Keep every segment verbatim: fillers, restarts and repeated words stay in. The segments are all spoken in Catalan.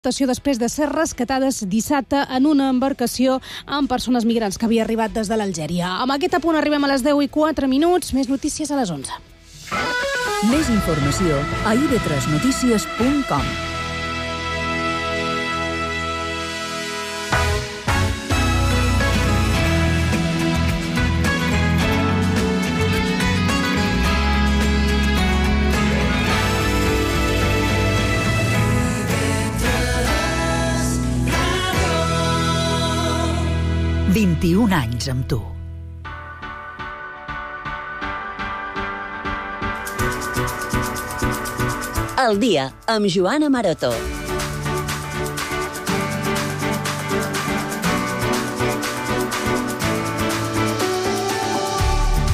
Després de ser rescatades dissabte en una embarcació amb persones migrants que havia arribat des de l'Algèria. Amb aquest apunt arribem a les deu i quatre minuts. Més notícies a les onze. Més informació a i ve tres notícies punt com. vint-i-un anys amb tu. El dia amb Joana Maroto.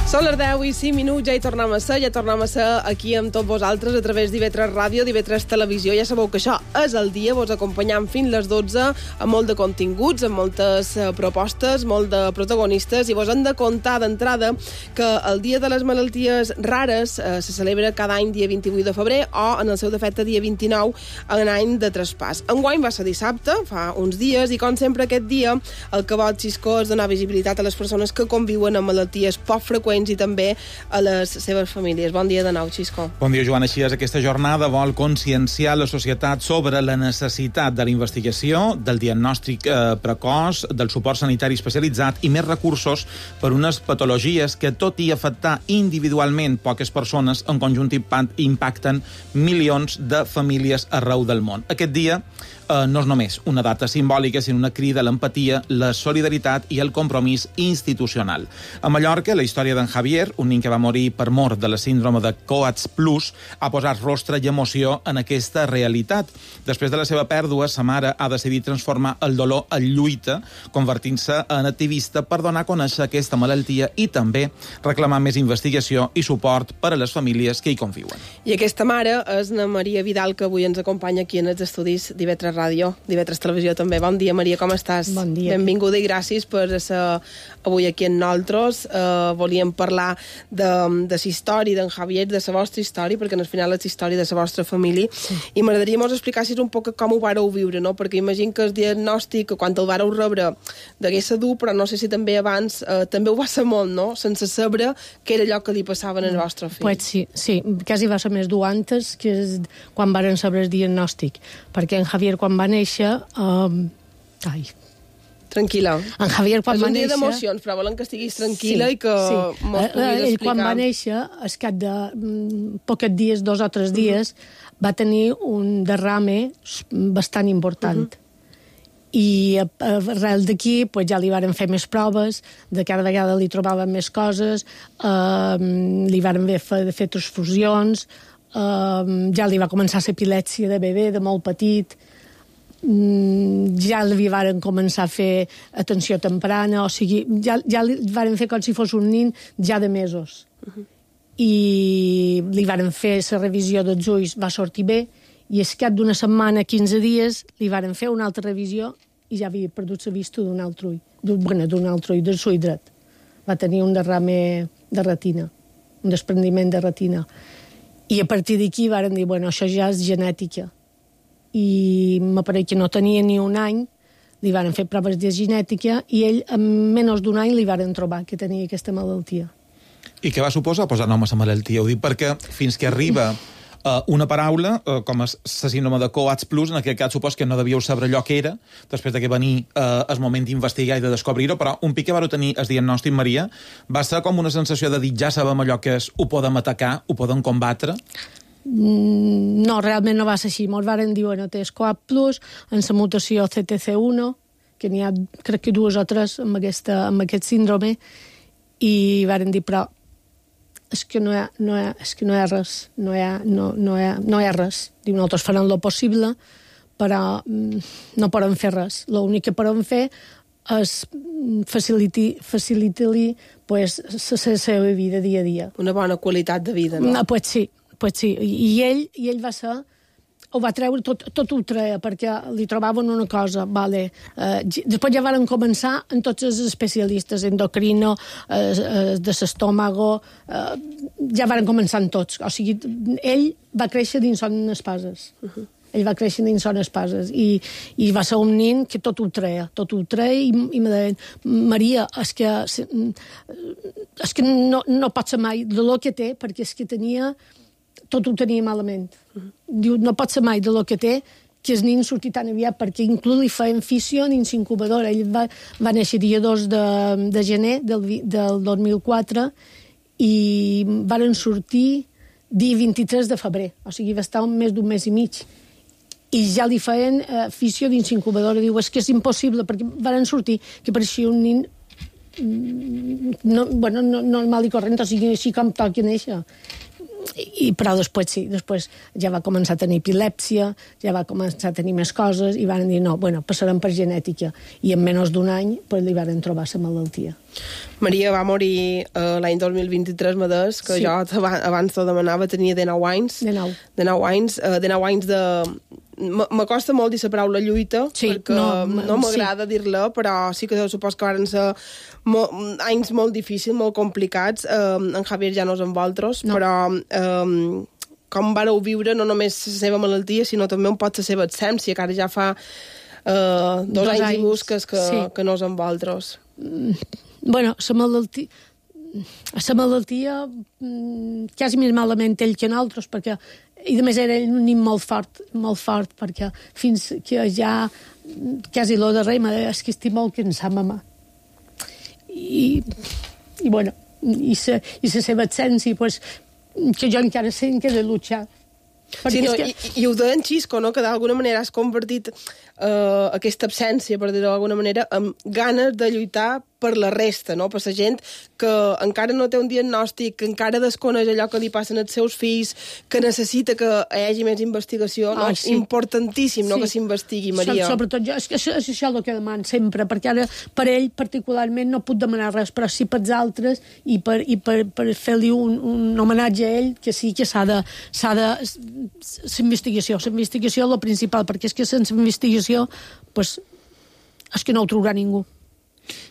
Són les deu i cinc minuts, ja hi tornem a ser, ja tornem a ser aquí amb tots vosaltres a través d'I ve tres Ràdio, d'I ve tres Televisió. Ja sabeu que això és el dia, vos acompanyam fins les dotze amb molt de continguts, amb moltes uh, propostes, molt de protagonistes, i vos hem de contar d'entrada que el Dia de les Malalties Rares uh, se celebra cada any dia vint-i-vuit de febrer o, en el seu defecte, dia vint-i-nou, en any de traspàs. Enguany va ser dissabte, fa uns dies, i com sempre aquest dia el que vol Xisco és donar visibilitat a les persones que conviuen amb malalties poc freqüents i també a les seves famílies. Bon dia de nou, Xisco. Bon dia, Joana. Així és, aquesta jornada vol conscienciar la societat sobre la necessitat de la investigació, del diagnòstic eh, precoç, del suport sanitari especialitzat i més recursos per unes patologies que, tot i afectar individualment poques persones, en conjunt impacten milions de famílies arreu del món. Aquest dia eh, no és només una data simbòlica, sinó una crida a l'empatia, la solidaritat i el compromís institucional. A Mallorca, la història d'en Javier, un nen que va morir per mort de la síndrome de Coats Plus, ha posat rostre i emoció en aquesta realitat. Després de la seva pèrdua, sa mare ha decidit transformar el dolor en lluita, convertint-se en activista per donar a conèixer aquesta malaltia i també reclamar més investigació i suport per a les famílies que hi conviuen. I aquesta mare és na Maria Vidal, que avui ens acompanya aquí en els estudis d'I ve tres Ràdio, d'I ve tres Televisió també. Bon dia, Maria, com estàs? Bon dia. Benvinguda i gràcies per ser avui aquí amb nosaltres. Uh, volíem parlar de, de la història d'en Javier, de la vostra història, perquè al final és la història de la vostra família, sí. I m'agradaria mos explicar-vos un poc com ho vareu viure, no? Perquè imagino que el diagnòstic, quan el vareu rebre, degués ser dur, però no sé si també abans eh, també ho va ser molt, no? Sense saber què era allò que li passava al vostre fill. Pues sí, sí, quasi va ser més dur antes que quan varen saber el diagnòstic, perquè en Javier quan va néixer... Eh, ai... Tranquil·la. En Javier, quan és va un dia néixer... d'emocions, però volen que estiguis tranquil·la, sí, i que sí. mos puguis explicar. Ell, quan va néixer, al cap de mm, pocs dies, dos o tres dies, uh-huh. va tenir un derrame bastant important. Uh-huh. I arrel d'aquí pues, ja li varen fer més proves, de cada vegada li trobaven més coses, eh, li varen fer, fer transfusions, eh, ja li va començar l'epilèpsia de bebè, de molt petit, ja li varen començar a fer atenció temprana, o sigui, ja, ja li varen fer com si fos un nin ja de mesos. Uh-huh. I li varen fer la revisió dels ulls, va sortir bé, i al cap d'una setmana, quinze dies, li varen fer una altra revisió i ja havia perdut la vista d'un altre ull, d'un, bueno, d'un altre ull, del ull dret. Va tenir un derrame de retina, un desprendiment de retina. I a partir d'aquí varen dir, bueno, això ja és genètica. I m'apareix que no tenia ni un any, li van fer proves de genètica i ell en menys d'un any li van trobar que tenia aquesta malaltia. I què va suposar posar nom a la malaltia? Ho dic perquè fins que arriba uh, una paraula, uh, com és la síndrome de Coats Plus, en aquest cas supos que no devíeu saber allò que era, després de que venir uh, el moment d'investigar i de descobrir-ho, però un pic que vareu tenir el diagnòstic, Maria, va ser com una sensació de dir, ja sabem allò que és, ho podem atacar, ho podem combatre? No, realment no va ser així. Ens varen dir, bueno, té Coats Plus, en la mutació C T C uno, que n'hi ha, crec que dues o tres amb, aquesta, amb aquest síndrome, i varen dir, però és que no hi ha, no hi ha, és que no hi ha res, no hi ha, no, no hi ha, no hi ha res. Diu, nosaltres farem el possible, però no podem fer res. L'únic que podem fer és facilitar-li pues, la seva vida dia a dia. Una bona qualitat de vida, no? No, pues sí. Pues sí, i ell, i ell va ser, ho va treure, tot, tot ho treia, perquè li trobaven una cosa, vale. Eh, després ja van començar en tots els especialistes, endocrino, eh, eh, de l'estómago, eh, ja van començar en tots. O sigui, ell va créixer dins son espases. Uh-huh. Ell va créixer dins son espases i, i va ser un nin que tot ho treia, tot ho treia i, i me deien, Maria, és que, és que no, no pot ser mai de lo que té, perquè és que tenia, tot ho tenia malament. Uh-huh. Diu, no pot ser mai de lo que té, que el nin surti tan aviat, perquè inclús li feien fissió dins incubadora. Ell va, va néixer dia dos de, de gener del, del dos mil quatre i varen sortir dia vint-i-tres de febrer, o sigui, va estar més d'un mes i mig. I ja li feien eh, fissió dins incubadora. Diu, és que és impossible, perquè varen sortir que pareixia un nin no, bueno, no, normal i corrent, o sigui, així com toqui néixer. I, però després sí, després ja va començar a tenir epilèpsia, ja va començar a tenir més coses, i van dir, no, bueno, passarem per genètica. I en menys d'un any pues, li van trobar la malaltia. Maria va morir uh, l'any dos mil vint-i-tres, Madès, que sí. Jo abans t'ho demanava, tenia dinou anys. dinou. dinou anys, uh, dinou anys de... M'acosta molt dir la paraula lluita, sí, perquè no, no m'agrada sí. dir-la, però sí que supos que van ser mo anys molt difícils, molt complicats. Um, en Javier ja no és amb vosaltres, no. Però um, com vareu viure no només la seva malaltia, sinó també un pot la seva absència, que ara ja fa uh, dos, dos anys, anys i busques que, sí. que no és amb vosaltres. Mm, bueno, la malaltia... La malaltia quasi més malament ell que nosaltres, perquè i a més era un nin molt fort, molt fort, perquè fins que ja quasi lo darrer m'ha dit, és que estic molt cansat, mamà. I, i bueno, i la i seva absència, pues, que jo encara sé que he de luchar. Sí, no, que... i, i ho deien Xisco, no? Que d'alguna manera has convertit uh, aquesta absència, per dir-ho d'alguna manera, amb ganes de lluitar per la resta, no? Per la gent que encara no té un diagnòstic, que encara desconeix allò que li passen als seus fills, que necessita que hi hagi més investigació, no? Ah, sí. Importantíssim, no? Sí. Que s'investigui, Maria. Sobretot jo, és, és, és això el que demano sempre, perquè ara per ell particularment no puc demanar res, però sí pels altres i per, i per, per fer-li un, un homenatge a ell, que sí que s'ha de... S'ha de l'investigació, l'investigació és la principal, perquè és que sense investigació pues, és que no ho trobarà ningú.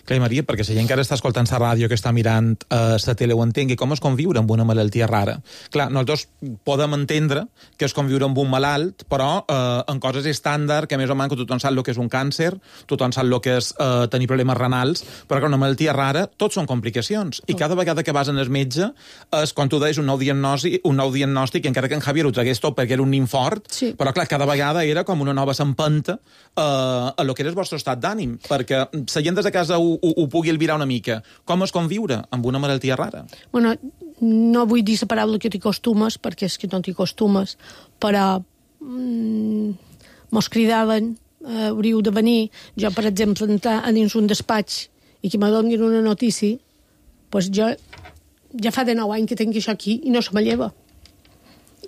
Clar, Maria, perquè la gent que ara està escoltant la ràdio, que està mirant eh, la tele, ho entengui, com és conviure amb una malaltia rara. Clar, nosaltres podem entendre que és conviure amb un malalt, però eh, en coses estàndard, que més o menys que tothom sap el que és un càncer, tothom sap el que és eh, tenir problemes renals, però que una malaltia rara, tot són complicacions. I cada vegada que vas en el metge, és, quan tu deies un nou diagnòstic, un nou diagnòstic, encara que en Javier ho tragués tot perquè era un nin fort, sí. Però clar, cada vegada era com una nova s'empenta eh, a lo que era el vostre estat d'ànim, perquè la gent des de casa ho Ho, ho pugui albirar una mica. Com es conviure amb una malaltia rara? Bueno, no vull dir la paraula que t'hi costumes, perquè és que no t'hi costumes, però mm, mos cridaven, eh, hauríeu de venir, jo, per exemple, entrar a dins un despatx i que me donin una notícia, doncs jo ja fa de nou anys que tinc això aquí i no se me lleva.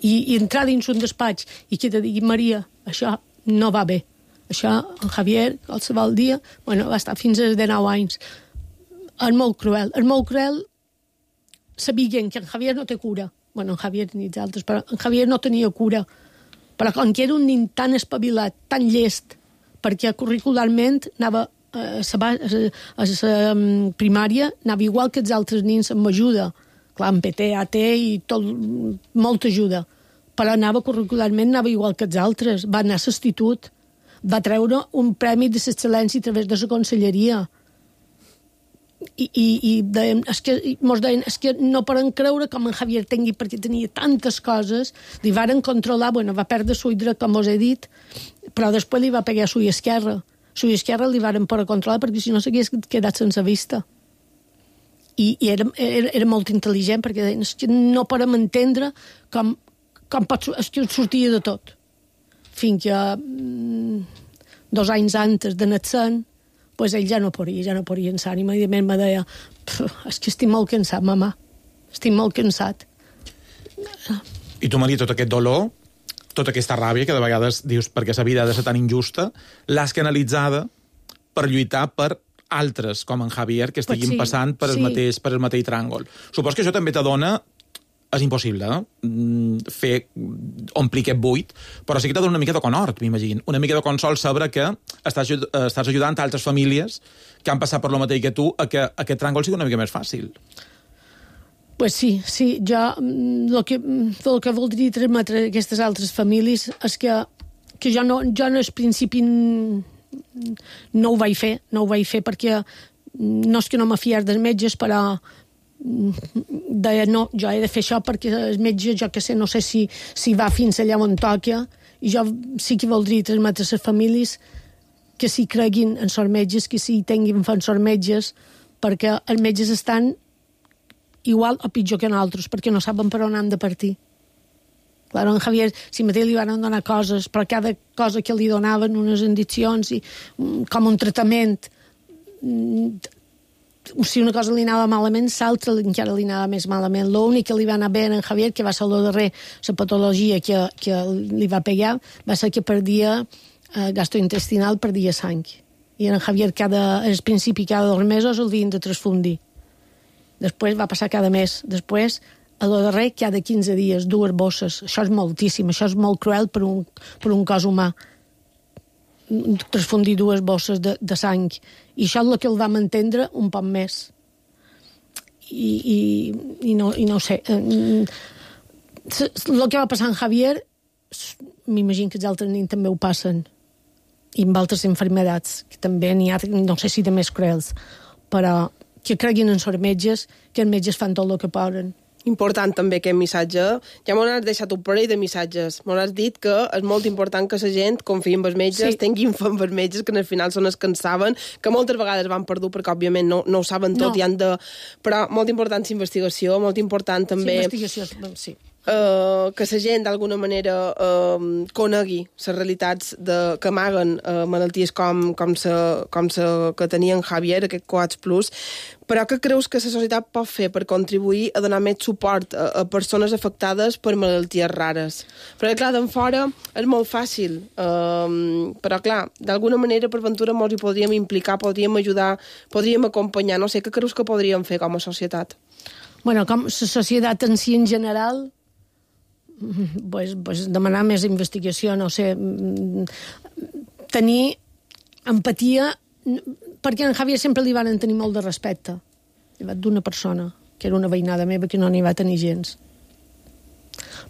I, i entrar dins un despatx i que te digui, Maria, això no va bé. Això, en Javier, qualsevol dia, bueno, va estar fins als dinou anys. És molt cruel. És molt cruel sabent que en Javier no té cura. Bueno, en Javier ni els altres, però en Javier no tenia cura. Però com que era un nin tan espavilat, tan llest, perquè curricularment anava a la primària, anava igual que els altres nins amb ajuda. Clar, amb P T, A T i tot, molta ajuda. Però anava curricularment, anava igual que els altres. Va anar a l'institut, va treure un premi d'excel·lència a través de la conselleria. I, i, i deien, és que, mos deien, és que no poden creure com en Javier tingui, perquè tenia tantes coses, li varen controlar, bueno, va perdre l'ull dret, com us he dit, però després li va pegar l'ull esquerre. L'ull esquerre li varen poder controlar, perquè si no s'hagués quedat sense vista. I, i era, era, era molt intel·ligent, perquè deien, és que no podem entendre com, com pot, és que sortia de tot. Fins que mm, dos anys antes de naixer, pues ell ja no podia, ja no podia en l'ànima, i de mi me deia, és que estic molt cansat, mamà, estic molt cansat. I tu, Maria, tot aquest dolor, tota aquesta ràbia, que de vegades dius perquè la vida ha de ser tan injusta, l'has canalitzada per lluitar per altres, com en Javier, que estiguin pues sí, passant per el, sí. mateix, per el mateix tràngol. Supos que això també t'adona. És impossible, eh? Fer, omplir aquest buit, però sí que t'ha donat una mica de conhort, m'imagino. Una mica de consol saber que estàs, estàs ajudant a altres famílies que han passat per lo mateix que tu a que aquest tràngol sigui una mica més fàcil. Pues sí, sí. Jo el que, el que voldria transmetre a aquestes altres famílies és que que jo no, jo no al principi no ho vaig fer, no ho vaig fer perquè no és que no me fiar dels metges, però deia, no, jo he de fer això perquè el metge, jo que sé, no sé si, si va fins allà on toca, i jo sí que voldria transmetre a les famílies que s'hi creguin en sort metges, que s'hi tinguin fan sort metges, perquè els metges estan igual o pitjor que nosaltres, perquè no saben per on han de partir. Claro, en Javier, si mateix li van donar coses, però cada cosa que li donaven, unes indicacions, i, com un tractament, si una cosa li anava malament, l'altra encara li anava més malament. L'únic que li va anar bé a en Javier, que va ser el darrer, la patologia que, que li va pegar, va ser que perdia eh, gastrointestinal, perdia sang. I en Javier, cada, al principi, cada dos mesos el havien de transfundir. Després va passar cada mes. Després, a lo darrer, cada quinze dies, dues bosses. Això és moltíssim, això és molt cruel per un, per un cos humà. Transfundir dues bosses de, de sang. I això és el que el vam entendre un poc més. I, i, i, no, i no ho sé. El que va passar en Javier, m'imagino que els altres nens també ho passen. I amb altres enfermedats, que també n'hi ha, no sé si de més cruels, però que creguin en els metges, que els metges fan tot el que poden. Important també aquest missatge. Ja m'ho has deixat un parell de missatges. M'ho has dit que és molt important que la gent confiï en els metges, sí. tinguin fe en els metges, que al final són els que en saben, que moltes vegades van perdut perquè òbviament no, no ho saben tot no. i han de... Però molt important la investigació, molt important també... Sí, investigació, sí. Uh, que la gent d'alguna manera uh, conegui les realitats de, que amaguen uh, malalties com, com, sa, com sa que tenia en Javier, aquest Coats Plus, però què creus que la societat pot fer per contribuir a donar més suport a, a persones afectades per malalties rares? Perquè, clar, d'en fora és molt fàcil, uh, però, clar, d'alguna manera, per ventura, ens hi podríem implicar, podríem ajudar, podríem acompanyar. No sé, què creus que podríem fer com a societat? Bueno, com la societat en si en general... Pues, pues demanar més investigació, no sé, tenir empatia, perquè en Javier sempre li van tenir molt de respecte, d'una persona, que era una veïnada meva que no n'hi va tenir gens.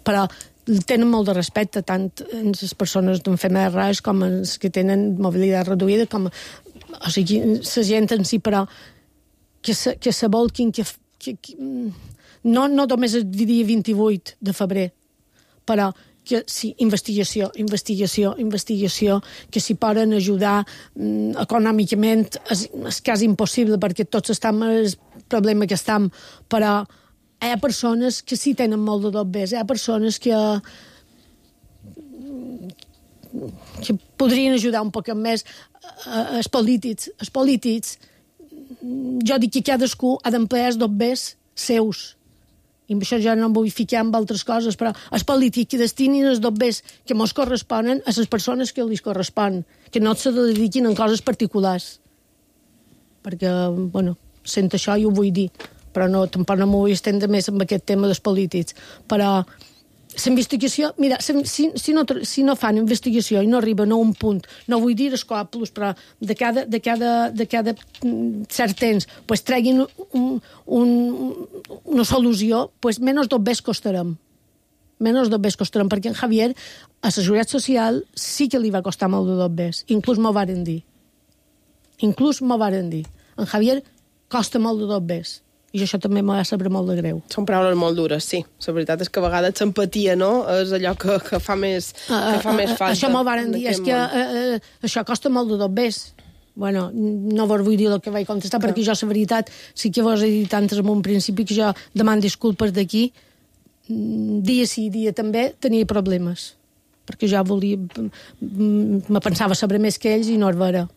Però tenen molt de respecte, tant en les persones d'enfermedats rares com els que tenen mobilitat reduïda, com, o sigui, la gent en si, però que se, que se volquin, que, que, que no, no només el dia vint-i-vuit de febrer, però que sí, investigació, investigació, investigació, que s'hi poden ajudar mm, econòmicament, és, és quasi impossible perquè tots estem en el problema que estem, però hi ha persones que sí tenen molt de dobbers, hi ha persones que que podrien ajudar un poc més els polítics. Els polítics, jo dic que cadascú ha d'emplear els dobbers seus, i amb això ja no em vull ficar amb altres coses, però els polítics que destinin els dobbers que mos corresponen a les persones que els correspon, que no se dediquin en coses particulars. Perquè, bueno, sent això i ho vull dir, però no, tampoc no m'ho vull estendre més amb aquest tema dels polítics. Però la investigació, mira, si, si, no, si no fan investigació i no arriben a un punt, no vull dir escòpulos, però de cada, de cada, de cada cert temps pues, treguin un, un, una solució, pues, menys dobbers costarem. Menys dobbers costarem, perquè en Javier, a la Seguretat Social, sí que li va costar molt de dobbers. Inclús m'ho varen dir. Inclús m'ho varen dir. En Javier costa molt de dobbers. I això també m'ha de saber molt de greu. Són paraules molt dures, sí. La veritat és que a vegades l'empatia, no?, és allò que, que fa més, que fa més falta. Això m'ho varen dir, és que uh, uh, això costa molt de dobbers. Bueno, no vos vull dir el que vaig contestar, que... perquè jo, la veritat, sí que vos he dit antes en un principi que jo demano disculpes d'aquí. Dia sí, dia també, tenia problemes. Perquè jo volia... Me pensava saber més que ells i no és vera.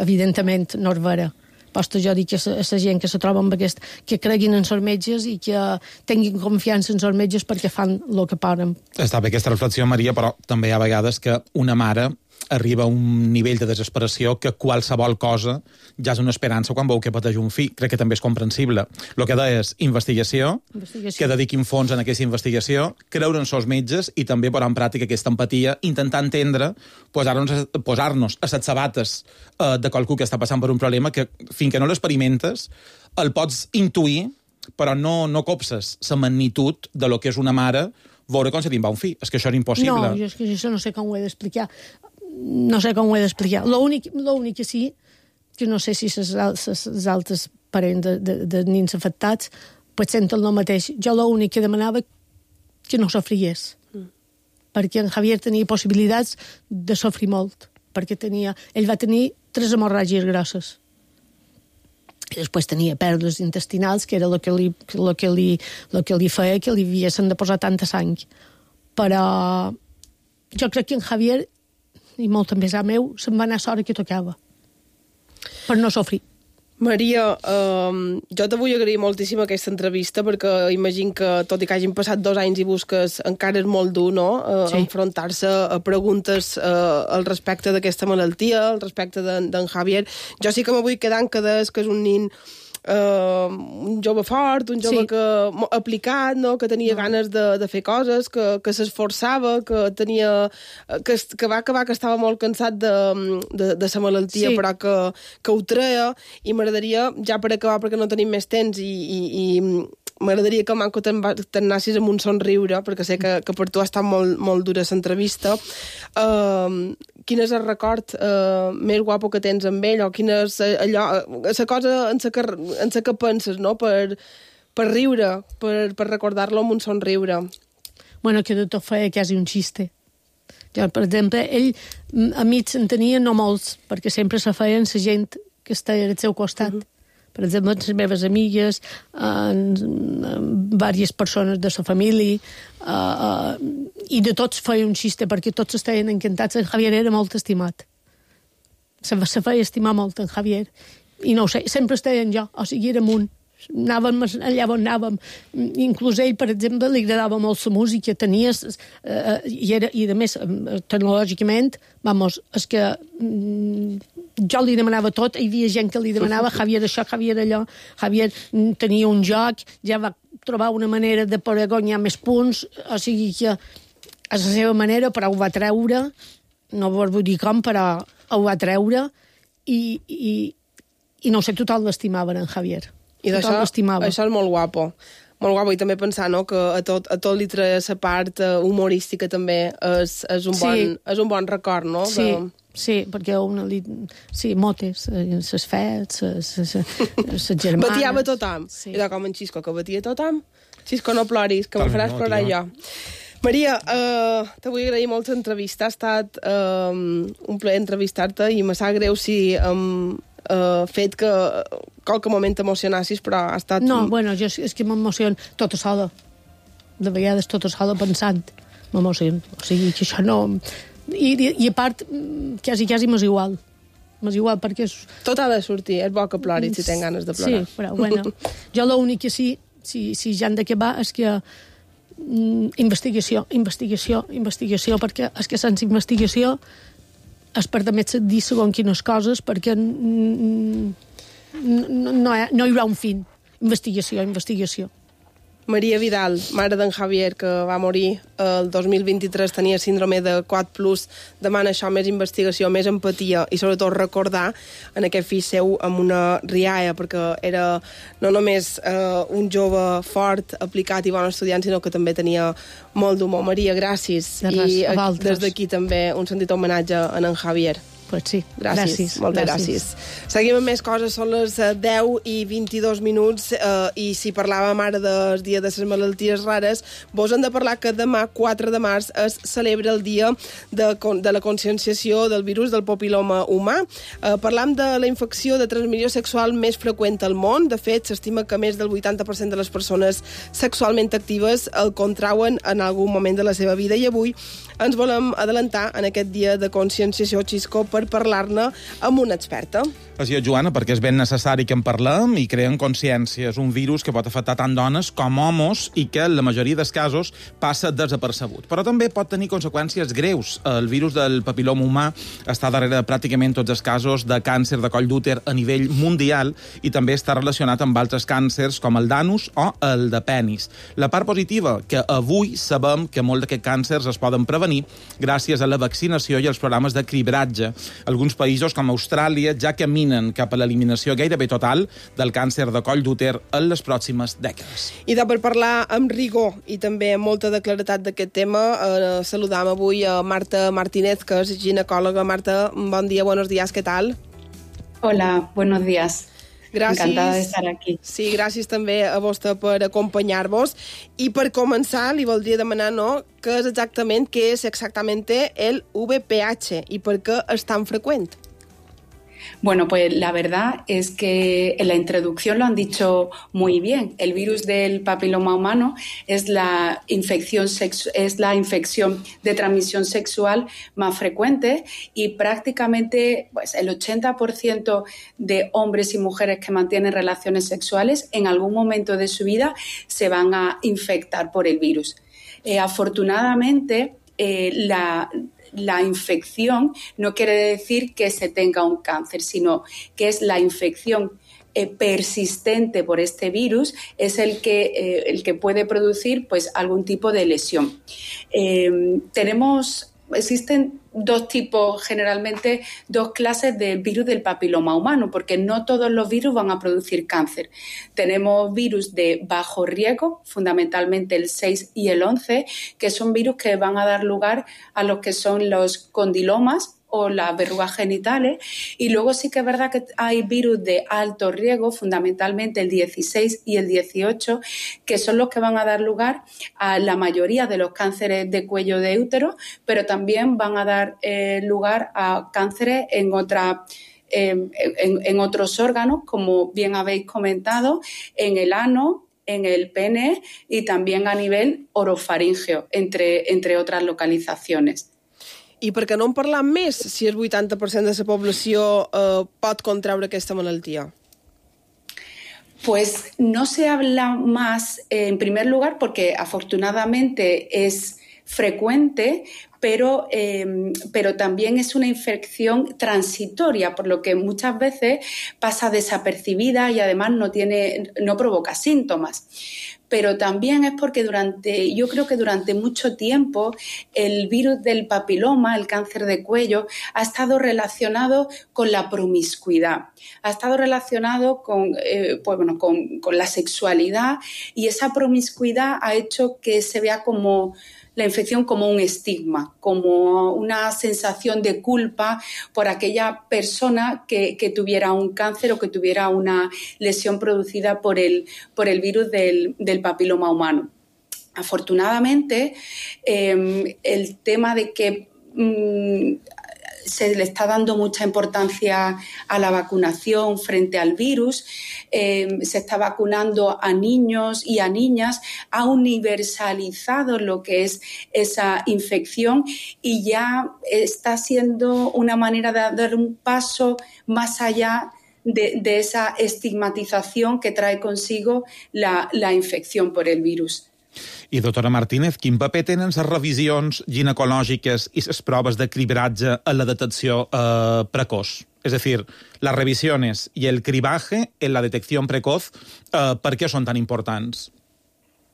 Evidentment, no és vera. Posta jo dic que la gent que se troba amb aquest, que creguin en els metges i que tinguin confiança en els metges perquè fan el que poden. Està bé aquesta reflexió, Maria, però també hi ha vegades que una mare arriba a un nivell de desesperació que qualsevol cosa ja és una esperança quan veu que pateix un fill. Crec que també és comprensible. El que deia és investigació, investigació, que dediquin fons en aquesta investigació, creure en els metges i també posar en pràctica aquesta empatia, intentar entendre, posar-nos, posar-nos a les sabates eh, de qualcú que està passant per un problema que, fins que no l'experimentes, el pots intuir, però no, no copses la magnitud de lo que és una mare veure com se te'n va un fill. És que això és impossible. No, jo, és que això no sé com ho he d'explicar. No sé com ho he d'explicar. L'únic que sí, que no sé si les altres parents de, de, de nins afectats pues senten el mateix. Jo l'únic que demanava que no sofrigués. Mm. Perquè en Javier tenia possibilitats de sofrir molt. Perquè tenia, ell va tenir tres hemorràgies grosses. I després tenia pèrdues intestinals, que era el que li, el que li, el que li feia que li haguessin de posar tanta sang. Però jo crec que en Javier, i molt també és a meu, se'n va anar a l'hora que tocava. Per no sofrir. Maria, eh, jo te vull agrair moltíssim aquesta entrevista, perquè imagino que, tot i que hagin passat dos anys i busques, encara és molt dur, no?, eh, sí. enfrontar-se a preguntes eh, al respecte d'aquesta malaltia, al respecte d'en de, Javier. Jo sí que me vull quedar en que des que és un nin Uh, un jove fort, un jove sí. que aplicat, no? Que tenia no. ganes de, de fer coses, que, que s'esforçava, que tenia que, que va acabar que estava molt cansat de, de, de sa malaltia, sí. però que, que ho treia, i m'agradaria, ja per acabar perquè no tenim més temps, i, i, i m'agradaria que Manco te'n nassis amb un somriure, perquè sé que, que per tu ha estat molt, molt dura l'entrevista. Uh, quin és el record uh, més guapo que tens amb ell, o quina és allò, la cosa en la que, en la que penses, no?, per, per riure, per, per recordar-lo amb un somriure. Bueno, que de tot feia quasi un xiste. Jo, per exemple, ell, amics en tenia no molts, perquè sempre se feien la gent que estava al seu costat. Uh -huh. Per exemple, les meves amigues, en, en diverses persones de la família, uh, uh, i de tots feia un xiste, perquè tots estaven encantats. En Javier era molt estimat. Se, se feia estimar molt en Javier. I no ho sé, sempre estaven jo, o sigui, érem un. Anàvem allà on anàvem. Inclús ell, per exemple, li agradava molt la música, tenia, uh, i, era, i a més, tecnològicament, vamos, és que mm, jo li demanava tot, hi havia gent que li demanava Javier això, Javier allò, Javier tenia un joc, ja va trobar una manera de poder guanyar més punts, o sigui que a la seva manera, però ho va treure, no vull dir com, però ho va treure, i, i, i no sé, tothom l'estimava en Javier. I d'això, això és molt guapo. Molt guapo, i també pensar, no?, que a tot, a tot li treia la part humorística també és, és, un, bon, sí. és un bon record, no? Sí, de... sí, perquè una li... Sí, motes, ses fets, ses germanes... Batiava tothom. Sí. Era com en Xisco, que batia tothom. Xisco, no ploris, que me faràs no, plorar jo. Maria, uh, te vull agrair molt l'entrevista. Ha estat uh, un plaer entrevistar-te, i me sap greu si... Um, Uh, fet que qualque moment t'emocionassis, però ha estat... No, bueno, jo és que m'emociono tota sola. De vegades tota sola pensant. M'emociono. O sigui, que això no... I, i, i a part, quasi, quasi m'és igual. M'és igual perquè... És... Tot ha de sortir. És bo que ploris si tens ganes de plorar. Sí, però, bueno, jo l'únic que sí, si, si ja han d'acabar, és que mm, investigació, investigació, investigació, perquè és que sense investigació es permet dir segons quines coses, perquè no, no, no hi haurà un fin. Investigació, investigació. Maria Vidal, mare d'en Javier, que va morir el dos mil vint-i-tres, tenia síndrome de quatre plus, demana això, més investigació, més empatia, i sobretot recordar en aquest fill seu amb una rialla, perquè era no només eh, un jove fort, aplicat i bon estudiant, sinó que també tenia molt d'humor. Maria, gràcies. De res, i a des d'aquí també un sentit homenatge a en Javier. Pues sí, gràcies. gràcies. Moltes gràcies. gràcies. Seguim amb més coses, són les deu i vint-i-dos minuts, eh, i si parlàvem ara del dia de les malalties rares, vos hem de parlar que demà, quatre de març, es celebra el dia de, de la conscienciació del virus del papil·loma humà. Eh, parlam de la infecció de transmissió sexual més freqüent al món. De fet, s'estima que més del vuitanta per cent de les persones sexualment actives el contrauen en algun moment de la seva vida, i avui ens volem adelantar en aquest dia de conscienciació, Xisco, per parlar-ne amb una experta. Així és, Joana, perquè és ben necessari que en parlem i creem consciència. És un virus que pot afectar tant dones com homes i que en la majoria dels casos passa desapercebut. Però també pot tenir conseqüències greus. El virus del papil·loma humà està darrere de pràcticament tots els casos de càncer de coll d'úter a nivell mundial, i també està relacionat amb altres càncers com el d'anus o el de penis. La part positiva, que avui sabem que molts d'aquests càncers es poden prevenir gràcies a la vaccinació i als programes de cribratge. Alguns països, com Austràlia, ja caminen cap a l'eliminació gairebé total del càncer de coll d'úter en les pròximes dècades. I de per parlar amb rigor i també amb molta de claretat d'aquest tema, eh, saludam avui a Marta Martínez, que és ginecòloga. Marta, bon dia, buenos días, ¿qué tal? Hola, buenos días. Gràcies. Encantada de estar aquí. Sí, gràcies també a vostè per acompanyar-vos. I per començar, li voldria demanar, no?, què és exactament, què és exactament el V P H i per què és tan freqüent? Bueno, pues la verdad es que en la introducción lo han dicho muy bien. El virus del papiloma humano es la infección, sexu- es la infección de transmisión sexual más frecuente y prácticamente pues, el ochenta por ciento de hombres y mujeres que mantienen relaciones sexuales en algún momento de su vida se van a infectar por el virus. Eh, afortunadamente, eh, la... La infección no quiere decir que se tenga un cáncer, sino que es la infección eh, persistente por este virus, es el que, eh, el que puede producir pues, algún tipo de lesión. Eh, tenemos... Existen dos tipos, generalmente dos clases del virus del papiloma humano, porque no todos los virus van a producir cáncer. Tenemos virus de bajo riesgo, fundamentalmente el seis y el once, que son virus que van a dar lugar a los que son los condilomas o las verrugas genitales, y luego sí que es verdad que hay virus de alto riesgo, fundamentalmente el dieciséis y el dieciocho, que son los que van a dar lugar a la mayoría de los cánceres de cuello de útero, pero también van a dar eh, lugar a cánceres en otras eh, en, en otros órganos, como bien habéis comentado, en el ano, en el pene y también a nivel orofaríngeo, entre, entre otras localizaciones. I per què no en parlam més si el vuitanta per cent de la població eh, pot contraure aquesta malaltia? Pues no se habla más, eh, en primer lugar, porque afortunadamente es frecuente, pero, eh, pero también es una infección transitoria, por lo que muchas veces pasa desapercibida y además no tiene, no provoca síntomas. Pero también es porque durante, yo creo que durante mucho tiempo el virus del papiloma, el cáncer de cuello, ha estado relacionado con la promiscuidad, ha estado relacionado con, eh, pues bueno, con, con la sexualidad, y esa promiscuidad ha hecho que se vea como la infección como un estigma, como una sensación de culpa por aquella persona que, que tuviera un cáncer o que tuviera una lesión producida por el, por el virus del, del papiloma humano. Afortunadamente, eh, el tema de que mmm, se le está dando mucha importancia a la vacunación frente al virus, eh, se está vacunando a niños y a niñas, ha universalizado lo que es esa infección y ya está siendo una manera de dar un paso más allá de, de esa estigmatización que trae consigo la, la infección por el virus. I, doctora Martínez, quin paper tenen les revisions ginecològiques i les proves de cribratge en la detecció eh, precoç? Es decir, las revisiones y el cribaje en la detección precoz, eh, ¿por qué son tan importantes?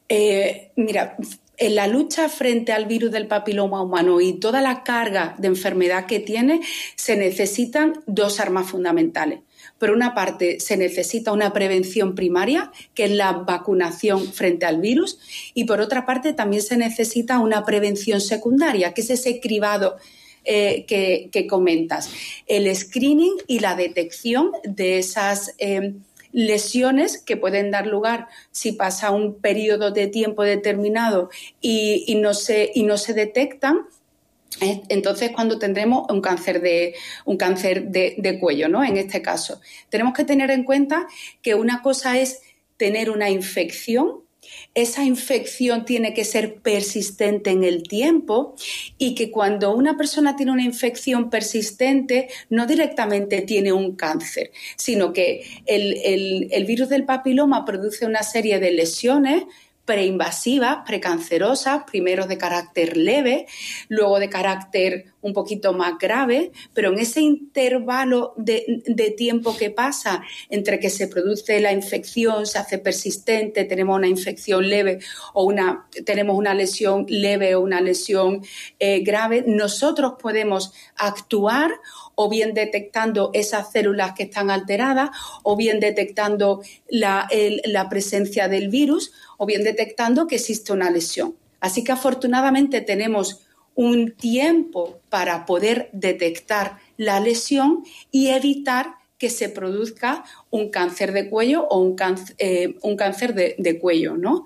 Eh, mira, en la lucha frente al virus del papiloma humano y toda la carga de enfermedad que tiene, se necesitan dos armas fundamentales. Por una parte, se necesita una prevención primaria, que es la vacunación frente al virus, y por otra parte también se necesita una prevención secundaria, que es ese cribado eh, que, que comentas. El screening y la detección de esas eh, lesiones que pueden dar lugar si pasa un periodo de tiempo determinado y, y, no, se, y no se detectan. Entonces, cuando tendremos un cáncer de un cáncer de, de cuello, ¿no? En este caso, tenemos que tener en cuenta que una cosa es tener una infección. Esa infección tiene que ser persistente en el tiempo, y que cuando una persona tiene una infección persistente no directamente tiene un cáncer, sino que el, el, el virus del papiloma produce una serie de lesiones preinvasivas, precancerosas, primero de carácter leve, luego de carácter un poquito más grave, pero en ese intervalo de, de tiempo que pasa entre que se produce la infección, se hace persistente, tenemos una infección leve o una, tenemos una lesión leve o una lesión eh, grave, nosotros podemos actuar o bien detectando esas células que están alteradas, o bien detectando la, el, la presencia del virus, o bien detectando que existe una lesión. Así que afortunadamente tenemos un tiempo para poder detectar la lesión y evitar que se produzca un càncer de cuello o un càncer, eh, un càncer de, de cuello, no?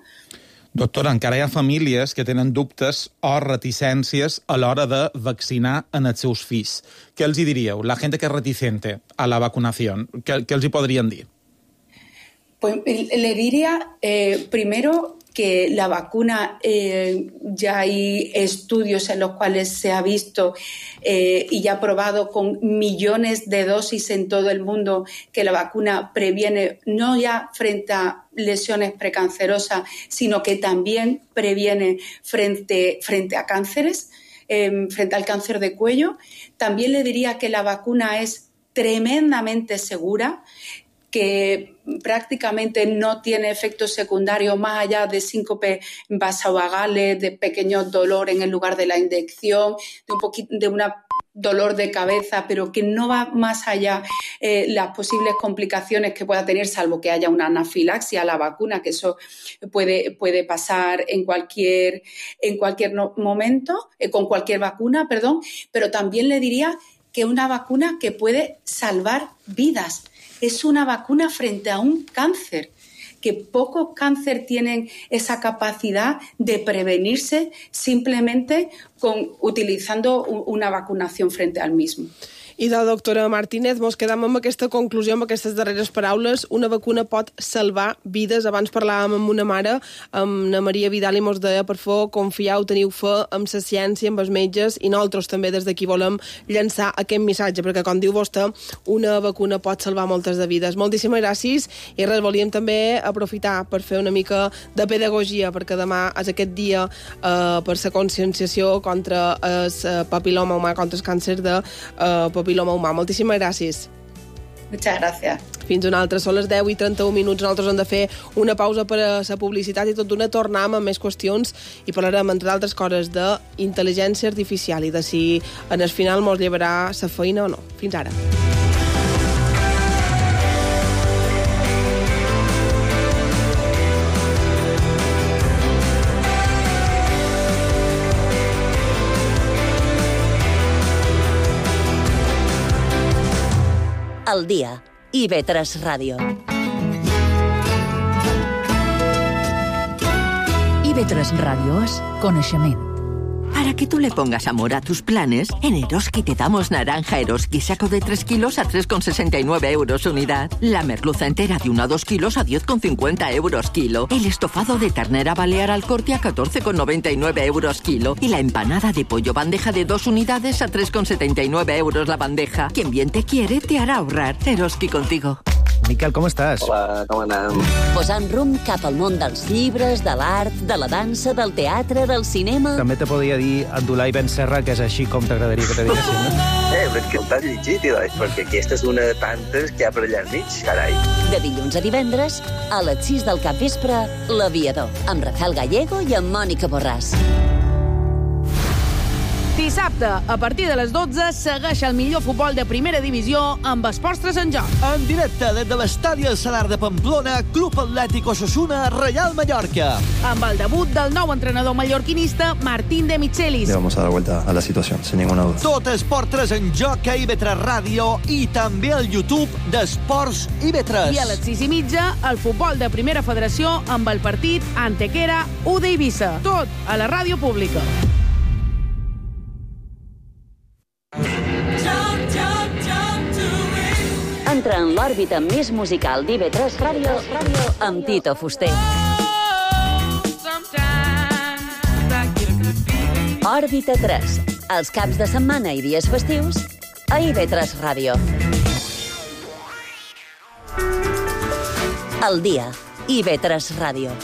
Doctora, encara hi ha famílies que tenen dubtes o reticències a l'hora de vaccinar en els seus fills. Què els hi diríeu? La gent que és reticente a la vacunació, què, què els hi podrien dir? Pues le diría eh, primero que la vacuna, eh, ya hay estudios en los cuales se ha visto eh, y ya probado con millones de dosis en todo el mundo que la vacuna previene no ya frente a lesiones precancerosas, sino que también previene frente, frente a cánceres, eh, frente al cáncer de cuello. También le diría que la vacuna es tremendamente segura, que prácticamente no tiene efectos secundarios más allá de síncope vasovagales, de pequeños dolores en el lugar de la inyección, de un poquito de una dolor de cabeza, pero que no va más allá eh, las posibles complicaciones que pueda tener, salvo que haya una anafilaxia a la vacuna, que eso puede, puede pasar en cualquier, en cualquier no, momento, eh, con cualquier vacuna, perdón, pero también le diría que una vacuna que puede salvar vidas. Es una vacuna frente a un cáncer, que pocos cánceres tienen esa capacidad de prevenirse simplemente con, utilizando una vacunación frente al mismo. I de doctora Martínez, mos quedam amb aquesta conclusió, amb aquestes darreres paraules. Una vacuna pot salvar vides. Abans parlàvem amb una mare, amb na Maria Vidal, i mos deia, per favor, confieu, teniu fe amb la ciència, amb els metges, i nosaltres també des d'aquí volem llançar aquest missatge, perquè, com diu vostè, una vacuna pot salvar moltes de vides. Moltíssimes gràcies, i res, volíem també aprofitar per fer una mica de pedagogia, perquè demà és aquest dia eh, per la conscienciació contra el papiloma humà, contra el càncer de eh, papiloma humà. Moltíssimes gràcies. Muchas gracias. Fins una altra. Són les deu i trenta-un minuts. Nosaltres hem de fer una pausa per a la publicitat i tot d'una tornem amb més qüestions i parlarem, entre altres coses, d'intel·ligència artificial i de si en el final mos llevarà la feina o no. Fins ara. Al día, I V tres Ràdio. I V tres Ràdio és coneixement. Para que tú le pongas amor a tus planes, en Eroski te damos naranja Eroski saco de tres kilos a tres con sesenta y nueve euros unidad. La merluza entera de uno a dos kilos a diez con cincuenta euros kilo. El estofado de ternera balear al corte a catorce con noventa y nueve euros kilo. Y la empanada de pollo bandeja de dos unidades a tres con setenta y nueve euros la bandeja. Quien bien te quiere te hará ahorrar. Eroski contigo. Miquel, com estàs? Hola, com anem? Posant rumb cap al món dels llibres, de l'art, de la dansa, del teatre, del cinema... També te podria dir Abdulai Ben Serra, que és així com t'agradaria que te diguessin, no? Eh, però és que t'has llegit, doncs, perquè aquesta és una de tantes que hi ha per allà al mig, carai. De dilluns a divendres, a les sis del capvespre, L'Aviador, amb Rafael Gallego i amb Mònica Borràs. Dissabte, a partir de les dotze, segueix el millor futbol de primera divisió amb Esports tres en joc. En directe des de l'estadi El Salar de Pamplona, Club Atlètic Osasuna, Real Mallorca. Amb el debut del nou entrenador mallorquinista, Martín de Michelis. Le vamos a dar vuelta a la situación, sin ninguna duda. Tot Esports tres en joc a I V tres Ràdio i també al YouTube d'Esports I V tres. I a les sis i mitja, el futbol de primera federació amb el partit Antequera u d'Eivissa. Tot a la ràdio pública. Entra en l'òrbita més musical d'I V tres Ràdio amb Tito Fuster. Òrbita tres, els caps de setmana i dies festius a I V tres Ràdio. El dia, I V tres Ràdio.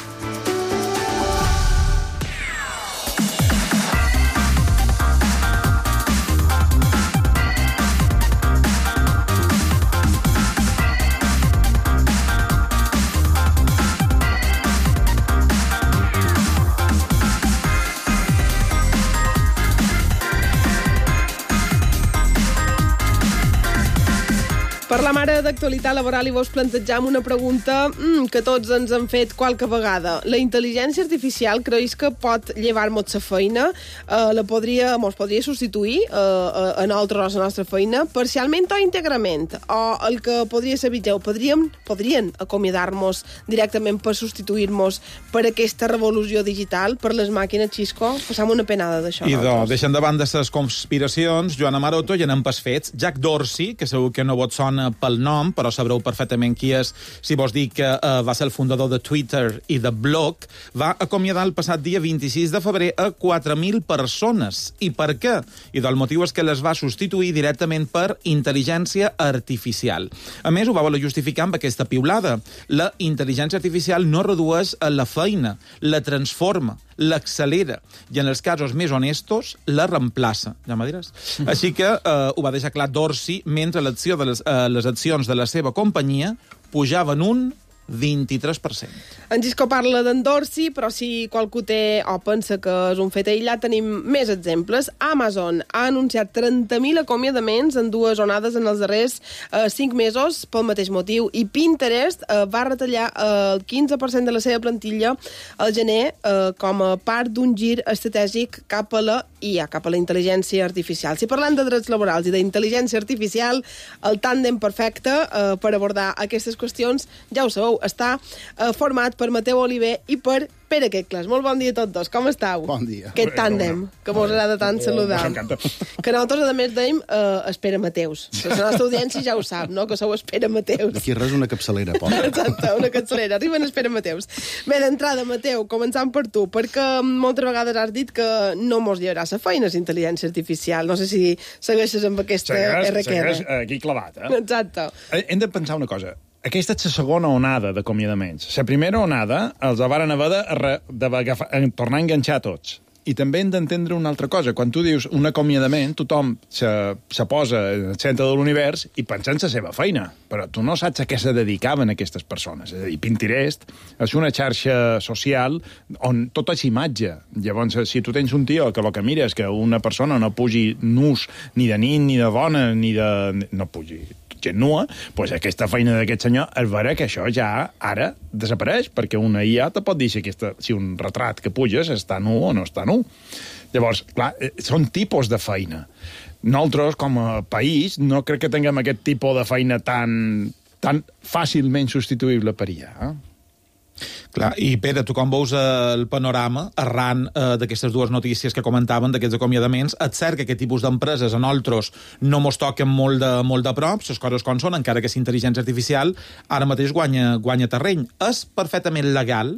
Parlam ara d'actualitat laboral i vos plantejam una pregunta mm, que tots ens han fet qualque vegada. La intel·ligència artificial creus que pot llevar-nos la feina? Eh, la podria, mos podria substituir eh, a nosaltres la nostra feina, parcialment o íntegrament? O el que podria ser pitjor, podríem, podrien acomiadar-nos directament per substituir-nos per aquesta revolució digital, per les màquines, Xisco? Passam una penada d'això. I do, deixant de banda les conspiracions, Joana Maroto, i anem pas fets. Jack Dorsey, que segur que no vos sona pel nom, però sabreu perfectament qui és si vos dic que uh, va ser el fundador de Twitter i de Block, va acomiadar el passat dia vint-i-sis de febrer a quatre mil persones. I per què? I el motiu és que les va substituir directament per intel·ligència artificial. A més, ho va voler justificar amb aquesta piulada. La intel·ligència artificial no redueix la feina, la transforma, l'accelera, i en els casos més honestos, la reemplaça. Ja m'ho diràs? Així que eh, ho va deixar clar Dorsey mentre l'acció de les, eh, les accions de la seva companyia pujaven un vint-i-tres per cent. En Gisco parla d'en Dorsey, però si qualcú té o pensa que és un fet aïllat, tenim més exemples. Amazon ha anunciat trenta mil acomiadaments en dues onades en els darrers eh, cinc mesos pel mateix motiu, i Pinterest eh, va retallar eh, el quinze per cent de la seva plantilla al gener eh, com a part d'un gir estratègic cap a la I A, cap a la intel·ligència artificial. Si parlant de drets laborals i d'intel·ligència artificial, el tàndem perfecte eh, per abordar aquestes qüestions, ja ho sabeu, està eh, format per Mateu Oliver i per Pere Quecles. Molt bon dia a tots dos. Com estàu? Bon dia. Aquest tàndem, que mos agrada tant saludar. M'encanta. Que nosaltres, a més, dèiem eh, Espera Mateus. La nostra audiència ja ho sap, no?, que sou Espera Mateus. D'aquí res una capçalera, pobre. Exacte, una capçalera. Arriben Espera Mateus. Bé, d'entrada, Mateu, començant per tu, perquè moltes vegades has dit que no mos llevarà la feina la intel·ligència artificial. No sé si segueixes amb aquesta segueix, R Q R. segueix aquí clavat, eh? Exacte. Hem de pensar una cosa. Aquesta és la segona onada d'acomiadaments. La primera onada els varen haver de, re, de agafar, tornar a enganxar tots. I també hem d'entendre una altra cosa. Quan tu dius un acomiadament, tothom se, se posa en el centre de l'univers i pensa en la seva feina. Però tu no saps a què se dedicaven aquestes persones. És a dir, Pinterest és una xarxa social on tot és imatge. Llavors, si tu tens un tio que el que mira és que una persona no pugi nus ni de nit, ni de dona, ni de... no pugi gent nua, doncs aquesta feina d'aquest senyor és vera que això ja ara desapareix, perquè una I A te pot dir si, aquesta, si un retrat que puges està nu o no està nu. Llavors, clar, són tipus de feina. Nosaltres, com a país, no crec que tinguem aquest tipus de feina tan, tan fàcilment substituïble per I A. Eh? Clar, i Pere, tu com veus el panorama arran eh, d'aquestes dues notícies que comentaven, d'aquests acomiadaments? És cert que aquest tipus d'empreses a nosaltres no mos toquen molt de, molt de prop, les coses com són, encara que és intel·ligència artificial, ara mateix guanya, guanya terreny. És perfectament legal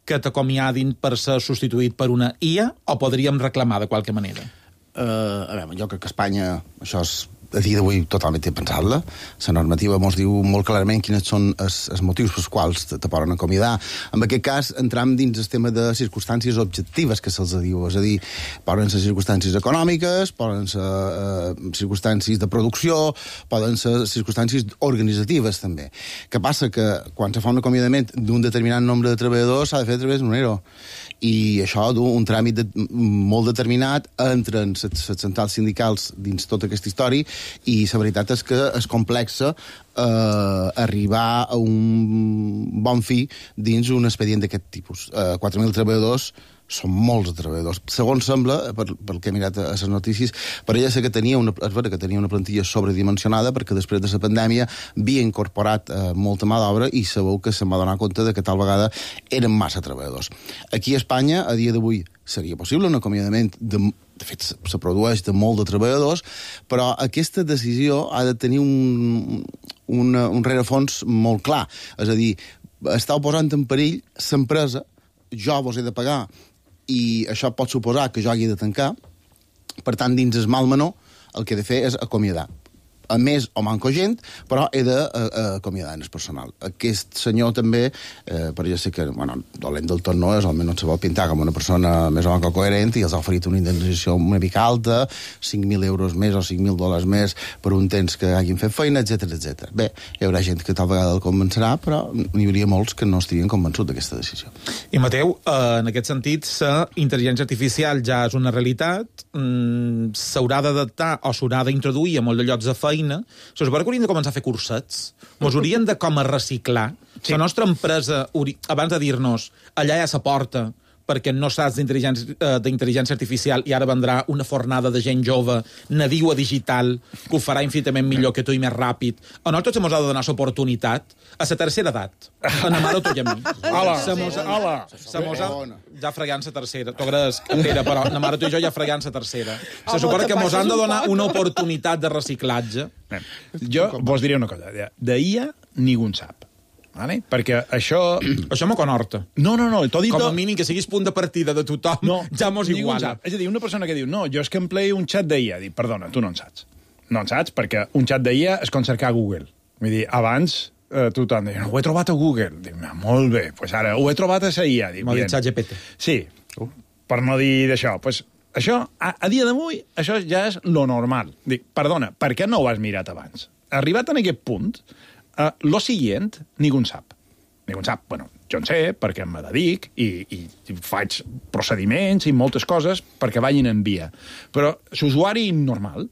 que t'acomiadin per ser substituït per una I A, o podríem reclamar de qualque manera? Uh, a veure, jo crec que a Espanya això és a dia d'avui totalment pensar-la. La normativa ens diu molt clarament quins són els, els motius pels quals te, te poden acomiadar. En aquest cas, entram dins el tema de circumstàncies objectives que se'ls diu. És a dir, poden ser circumstàncies econòmiques, poden ser eh, circumstàncies de producció, poden ser circumstàncies organitzatives, també. Què passa? Que quan se fa un acomiadament d'un determinat nombre de treballadors s'ha de fer a través d'un E R O. I això du un tràmit de, molt determinat entre les centrals sindicals dins tota aquesta història, i la veritat és que és complexa eh, arribar a un bon fi dins un expedient d'aquest tipus. Eh, quatre mil treballadors són molts treballadors. Segons sembla, per, pel que he mirat a les notícies, per ella sé que tenia una, és vera que tenia una plantilla sobredimensionada, perquè després de la pandèmia havia incorporat eh, molta mà d'obra, i sabeu que se'm va donar compte de que tal vegada eren massa treballadors. Aquí a Espanya, a dia d'avui, seria possible un acomiadament de... De fet, se produeix de molt de treballadors, però aquesta decisió ha de tenir un, un, un rerefons molt clar. És a dir, estàu posant en perill l'empresa, jo vos he de pagar, i això pot suposar que jo hagi de tancar. Per tant, dins el mal menor, el que he de fer és acomiadar. A més o manco gent, però he d'acomiadar en el personal. Aquest senyor també, eh, però ja sé que, bueno, dolent del tot no és, almenys se vol pintar com una persona més o manco coherent, i els ha oferit una indemnització una mica alta, cinc mil euros més o cinc mil dòlars més per un temps que hagin fet feina, etcètera, etcètera. Bé, hi haurà gent que tal vegada el convencerà, però n'hi hauria molts que no estarien convençuts d'aquesta decisió. I Mateu, eh, en aquest sentit, la intel·ligència artificial ja és una realitat, mm, s'haurà d'adaptar o s'haurà d'introduir a molts de llocs de feina feina, se suposa que hauríem de començar a fer cursets, mos haurien de com a reciclar. Sí. La nostra empresa, abans de dir-nos allà hi ha sa porta, perquè no saps d'intel·ligència artificial i ara vendrà una fornada de gent jove, nadiua digital, que ho farà infinitament millor que tu i més ràpid. A nosaltres ens ha de donar l'oportunitat a la tercera edat. A la mare tu i a mi. Hola, hola. Ja fregant la tercera. T'ho agradesc, Pere, però la mare tu i jo ja fregant la tercera. Se suposa que ens han de donar una oportunitat de reciclatge. Jo vos diré una cosa. D'I A ningú en sap. Vale? Perquè això... Això m'ho conorta. No, no, no. Dit com a mínim que siguis punt de partida de tothom, no, ja mos iguala. És a dir, una persona que diu, no, jo és que empleo un xat d'I A. Dic, perdona, tu no en saps. No en saps, perquè un xat d'I A és com cercar a Google. Vull dir, abans eh, tothom deia, no, ho he trobat a Google. Dic, molt bé, doncs ara ho he trobat a la I A. M'ho ha dit ChatGPT. Sí, per no dir d'això. Pues, això, a, a dia d'avui, això ja és lo normal. Dic, perdona, per què no ho has mirat abans? Arribat en aquest punt, Uh, lo siguient, ningú en sap. Ningú en sap. Bueno, jo en sé, perquè em dedic i, i, i faig procediments i moltes coses perquè vagin en via. Però l'usuari normal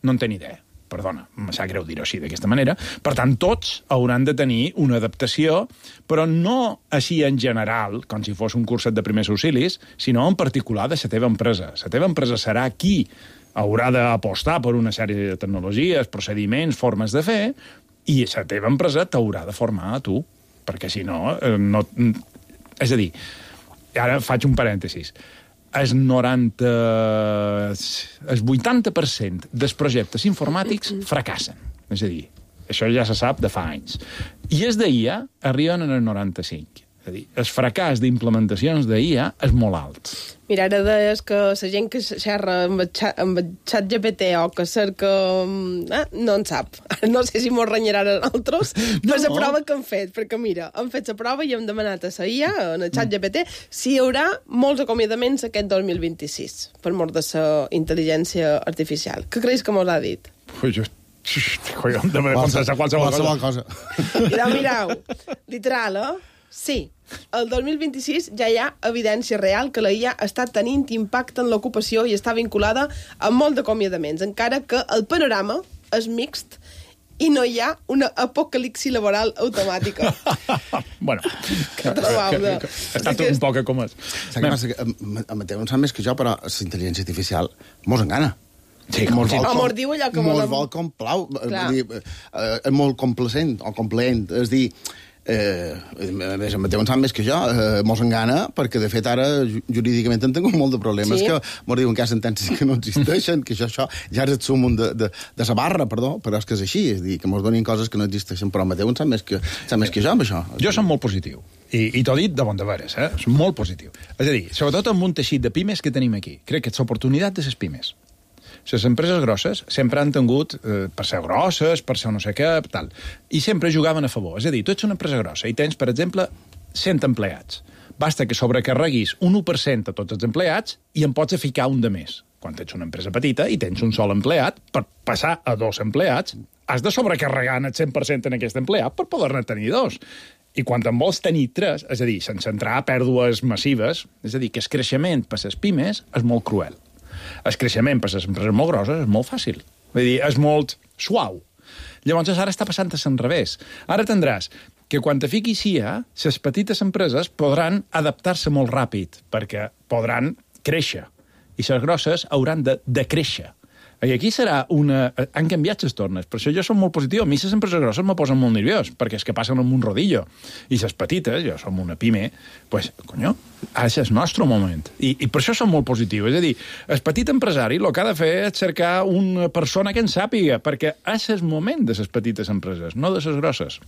no en té ni idea. Perdona, em sap greu dir-ho així, d'aquesta manera. Per tant, tots hauran de tenir una adaptació, però no així en general, com si fos un curset de primers auxilis, sinó en particular de la teva empresa. La teva empresa serà qui haurà d'apostar per una sèrie de tecnologies, procediments, formes de fer, i la teva empresa t'haurà de formar a tu, perquè si no, eh, no... És a dir, ara faig un parèntesis, el noranta... el vuitanta per cent dels projectes informàtics fracassen. És a dir, això ja se sap de fa anys. I els d'I A arriben en el noranta-cinc. És a dir, el fracàs d'implementacions d'I A és molt alt. Mira, ara deies que la gent que xerra amb el xat G P T o que cerca... Eh, no en sap. No sé si mos renyaran a nosaltres per la prova que han fet, perquè mira, han fet la prova i hem demanat a la I A, en el xat G P T, si hi haurà molts acomiadaments aquest dos mil vint-i-sis per mort de la intel·ligència artificial. Què creus que mos ha dit? Pues jo... Collons, de contestar qualsevol, qualsevol cosa. Mirau, mirau. Literal, eh? Sí. El dos mil vint-i-sis ja hi ha evidència real que la I A està tenint impacte en l'ocupació i està vinculada a molt d'acomiadaments, encara que el panorama és mixt i no hi ha una apocalipsi laboral automàtica. Bueno, que, que, que, que, està tot un poc com és. Saps què passa? Que Mateu en sap més que jo, però la intel·ligència artificial mos engana. Sí, com sí. O mos diu allò que mos vol com plau. Dir, eh, és molt complacent o complaent. És dir, eh, a més, en Mateu en sap més que jo, eh, mos engana, perquè de fet ara jurídicament en tinc molt de problemes, sí. Que mos diuen que hi ha sentències que no existeixen, que això, això ja és el súmum de, de, de sa barra, perdó, però és que és així, és dir, que mos donin coses que no existeixen, però Mateu en sap més que, sap més que jo amb això. Jo som molt positiu. I, i t'ho dit de bon de veres, eh? És molt positiu. És a dir, sobretot amb un teixit de pimes que tenim aquí. Crec que és l'oportunitat de les pimes. Les empreses grosses sempre han tingut, eh, per ser grosses, per ser no sé què, tal, i sempre jugaven a favor. És a dir, tu ets una empresa grossa i tens, per exemple, cent empleats. Basta que sobrecarreguis un u per cent a tots els empleats i en pots ficar un de més. Quan ets una empresa petita i tens un sol empleat, per passar a dos empleats, has de sobrecarregar el cent per cent en aquest empleat per poder-ne tenir dos. I quan en vols tenir tres, és a dir, sense entrar a pèrdues massives, és a dir, que el creixement per les pimes és molt cruel. El creixement per les empreses molt grosses és molt fàcil. Vull dir, és molt suau. Llavors, ara està passant a l'enrevés. Ara tindràs que quan te fiquis I A, les petites empreses podran adaptar-se molt ràpid, perquè podran créixer. I les grosses hauran de decréixer. I aquí serà una... Han canviat les tornes. Per això jo som molt positiu. A mi les empreses grosses me posen molt nerviós, perquè és que passen amb un rodillo. I les petites, jo som una pime, pues, conyo, ara és el nostre moment. I, i per això som molt positiu. És a dir, el petit empresari el que ha de fer és cercar una persona que en sàpiga, perquè és el moment de les petites empreses, no de les grosses.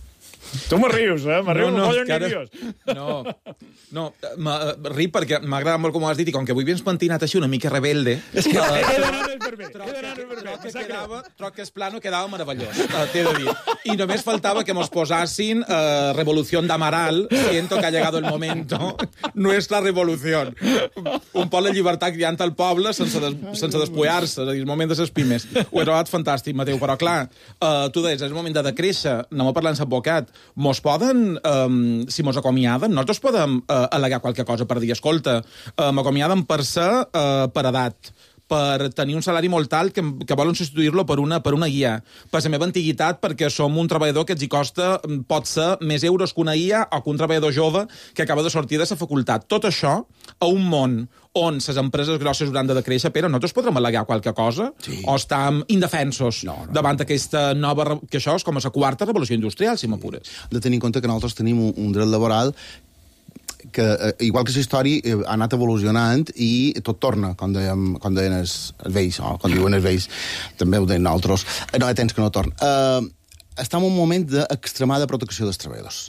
Tu me rius, eh? Me rius, no, no, no, nerviós. No, no, ri perquè m'agrada molt com ho has dit i com que avui vens pentinat així una mica rebelde... És que he d'anar per bé. Troc que es plano quedava meravellós, t'he de dir. I només faltava que mos posassin uh, Revolució d'Amaral, siento que ha llegado el momento, nuestra revolución. Un poc la llibertat guiant al poble sense, des, sense despullar-se, és a dir, el moment de ses pimes. Ho he trobat fantàstic, Mateu, però clar, uh, tu deies, és el moment de decréixer, anem a parlar amb l'advocat. Mos poden, um, si mos acomiaden, nosaltres podem uh, al·legar qualque cosa per dir, escolta, uh, m'acomiaden per ser uh, per edat, per tenir un salari molt alt que, que volen substituir-lo per una, per una I A. Per la meva antiguitat, perquè som un treballador que els hi costa, pot ser, més euros que una I A o que un treballador jove que acaba de sortir de la facultat. Tot això, a un món on les empreses grosses hauran de decréixer, però nosaltres podrem al·legar qualque cosa? Sí. O estem indefensos no, no, davant d'aquesta nova... que això és com la quarta revolució industrial, si m'apures. De tenir en compte que nosaltres tenim un, un dret laboral que, eh, igual que la història, eh, ha anat evolucionant i tot torna, com deien, com deien els, els vells, o com diuen els vells, també ho deien nosaltres. No hi ha temps que no torna. Eh, estem en un moment d'extremada protecció dels treballadors.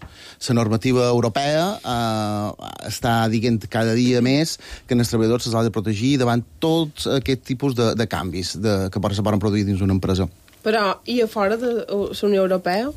La normativa europea eh, està dient cada dia més que els treballadors se'ls ha de protegir davant tots aquest tipus de, de canvis de, que se poden produir dins una empresa. Però, i a fora de la Unió Europea?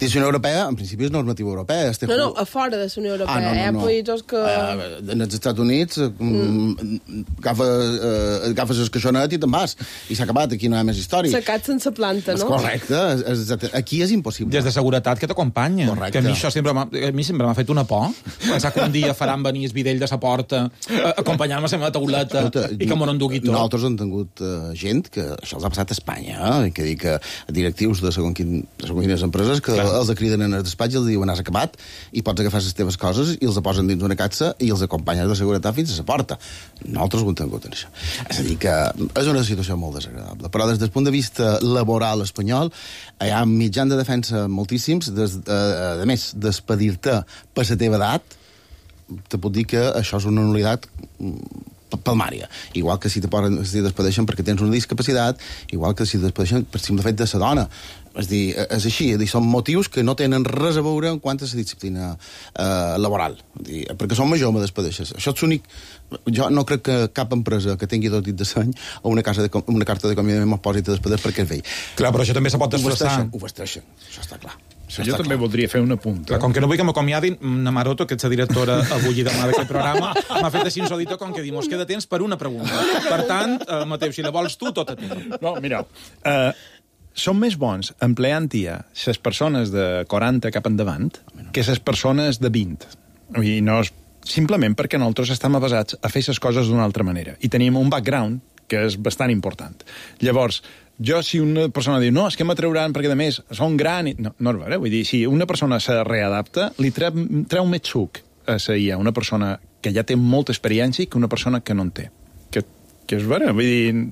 Dins la Unió Europea, en principi, és normativa europea. No, no, a fora de la Unió Europea. Ah, no, no, Hi ha no. països que... Uh, en els Estats Units, mm. agafes, uh, agafes el caixonet i te'n vas. I s'ha acabat, aquí no hi ha més història. Secat sense planta, no? És correcte, és, és, aquí és impossible. Des de seguretat que t'acompanya. Correcte. Que a mi això sempre m'ha, a mi sempre m'ha fet una por. Pensar que un dia faran venir el videll de sa porta, uh, acompanyant-me a la meva tauleta i que m'ho endugui tot. Nosaltres hem tingut uh, gent que això els ha passat a Espanya, eh? Que dir que directius de segons, quin, de segons quines empreses que Clar. els criden en el despatx i els diuen has acabat i pots agafar les teves coses i els posen dins una catxa i els acompanyes de seguretat fins a la porta. Nosaltres ho hem tingut en això. És a dir, que és una situació molt desagradable. Però des del punt de vista laboral espanyol hi ha mitjans de defensa moltíssims. Des, a, a més, despedir-te per la teva edat, te puc dir que això és una nul·litat palmària. Igual que si te poden, si despedeixen perquè tens una discapacitat, igual que si despedeixen per simple fet de sa dona. És dir, és així, és dir, són motius que no tenen res a veure en quant a la disciplina eh, laboral. És dir, perquè som major, me despedeixes. Això és únic. Jo no crec que cap empresa que tingui tot dit de seny o una, casa de, una carta d'acomiadament es posi a despedir perquè és vell. Clar, però això també se pot desplaçar. Ho vesteixen, això està clar. Això jo també clar. voldria fer un apunt. Clar, com que no vull que m'acomiadin, na Maroto, que ets la directora avui i demà d'aquest programa, m'ha fet així insòlito com que dir, mos queda temps per una pregunta. Per tant, eh, Mateu, si la vols tu, tot a tu. No, mireu, uh, són més bons empleant-hi les persones de quaranta cap endavant que les persones de vint. I no és simplement perquè nosaltres estem avasats a fer les coses d'una altra manera. I tenim un background que és bastant important. Llavors, jo, si una persona diu, no, és que m'atrauran perquè, a més, són gran... I... No, no és vera, vull dir, si una persona se readapta, li treu, treu més suc a la I A, una persona que ja té molta experiència que una persona que no en té. Que, que és vera, vull dir,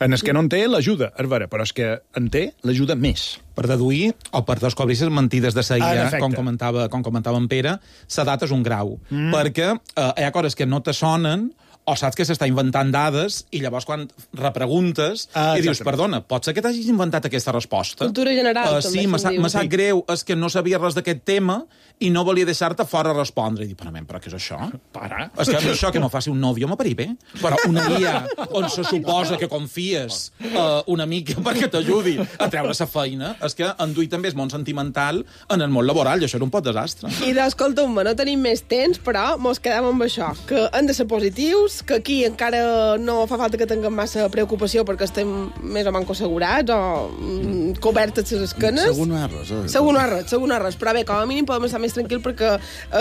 en el que no en té l'ajuda, és vera, però és que en té l'ajuda més. Per deduir o per descobrir les mentides de la I A, ah, com comentava, com comentava en Pere, l'edat és un grau, mm. perquè eh, hi ha coses que no te sonen o saps que s'està inventant dades i llavors quan repreguntes ah, i dius, perdona, pot ser que t'hagis inventat aquesta resposta? Cultura general, uh, també sí, me sap, me sap greu, és que no sabia res d'aquest tema i no volia deixar-te fora a respondre. I dic, però, però què és això? Para. És que això que no faci un nòvio m'aparí bé. Però una guia on se suposa que confies uh, una mica perquè t'ajudi a treure la feina, és que enduir també és món sentimental en el món laboral i això era un pot desastre. I d'escolta'm, no tenim més temps, però mos quedem amb això, que han de ser positius, que aquí encara no fa falta que tinguem massa preocupació perquè estem més o manco assegurats o mm, cobertes les esquenes. Segur no hi ha res. Eh? Segur no hi ha res, segur no hi ha res. Però bé, com a mínim podem estar més tranquils perquè eh,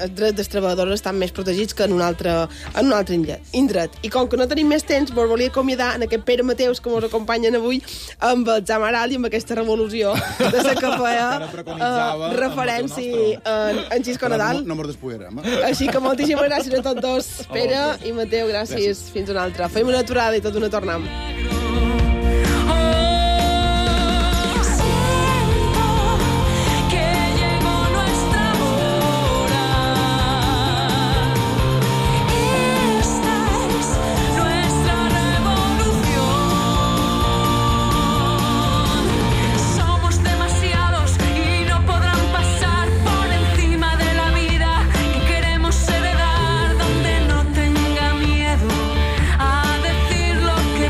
els drets dels treballadors estan més protegits que en un altre, en un altre indret. I com que no tenim més temps, vos volia acomiadar en aquest Pere Mateus que ens acompanyen avui amb el Zamaral i amb aquesta revolució de la que feia eh, referència en, en Xisco Nadal. No, no mos despullarem. Eh? Així que moltíssimes gràcies a tots dos, Pere i Mateu, gràcies. gràcies. Fins una altra. Fem una aturada i tot una tornem.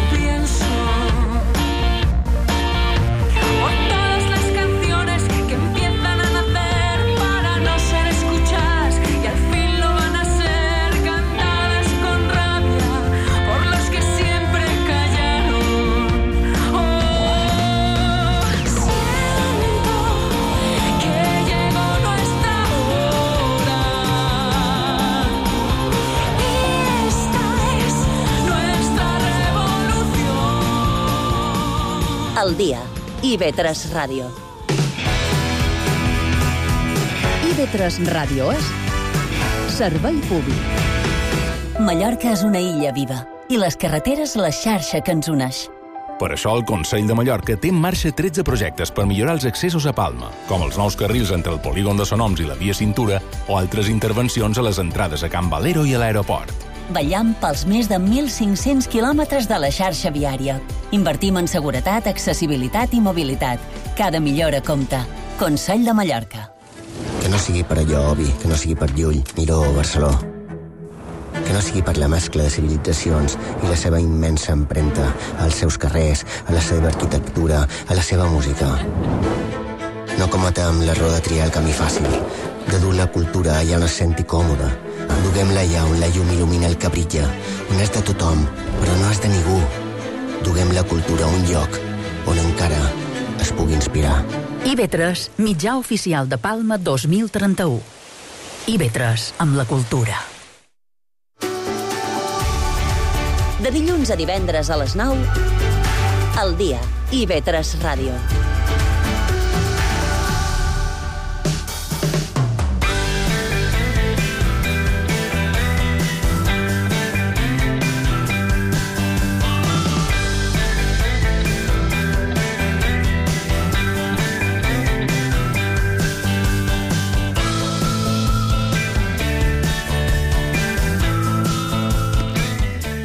Pienso I V tres Ràdio. I V tres Ràdio és servei públic. Mallorca és una illa viva i les carreteres la xarxa que ens uneix. Per això el Consell de Mallorca té en marxa tretze projectes per millorar els accessos a Palma, com els nous carrils entre el polígon de Sonoms i la via Cintura o altres intervencions a les entrades a Can Valero i a l'aeroport. Vetllam pels més de mil cinc-cents quilòmetres de la xarxa viària. Invertim en seguretat, accessibilitat i mobilitat. Cada millora compta. Consell de Mallorca. Que no sigui per allò, Obi, que no sigui per Llull, Miró o Barceló. Que no sigui per la mescla de civilitzacions i la seva immensa empremta als seus carrers, a la seva arquitectura, a la seva música. No cometem l'error de triar el camí fàcil, de dur la cultura allà on es senti còmode. Duguem-la allà on la llum il·lumina el que brilla, on és de tothom, però no és de ningú. Duguem la cultura a un lloc on encara es pugui inspirar. I V tres, mitjà oficial de Palma dos mil trenta-u. I V tres, amb la cultura. De dilluns a divendres a les nou, al dia, I V tres Ràdio.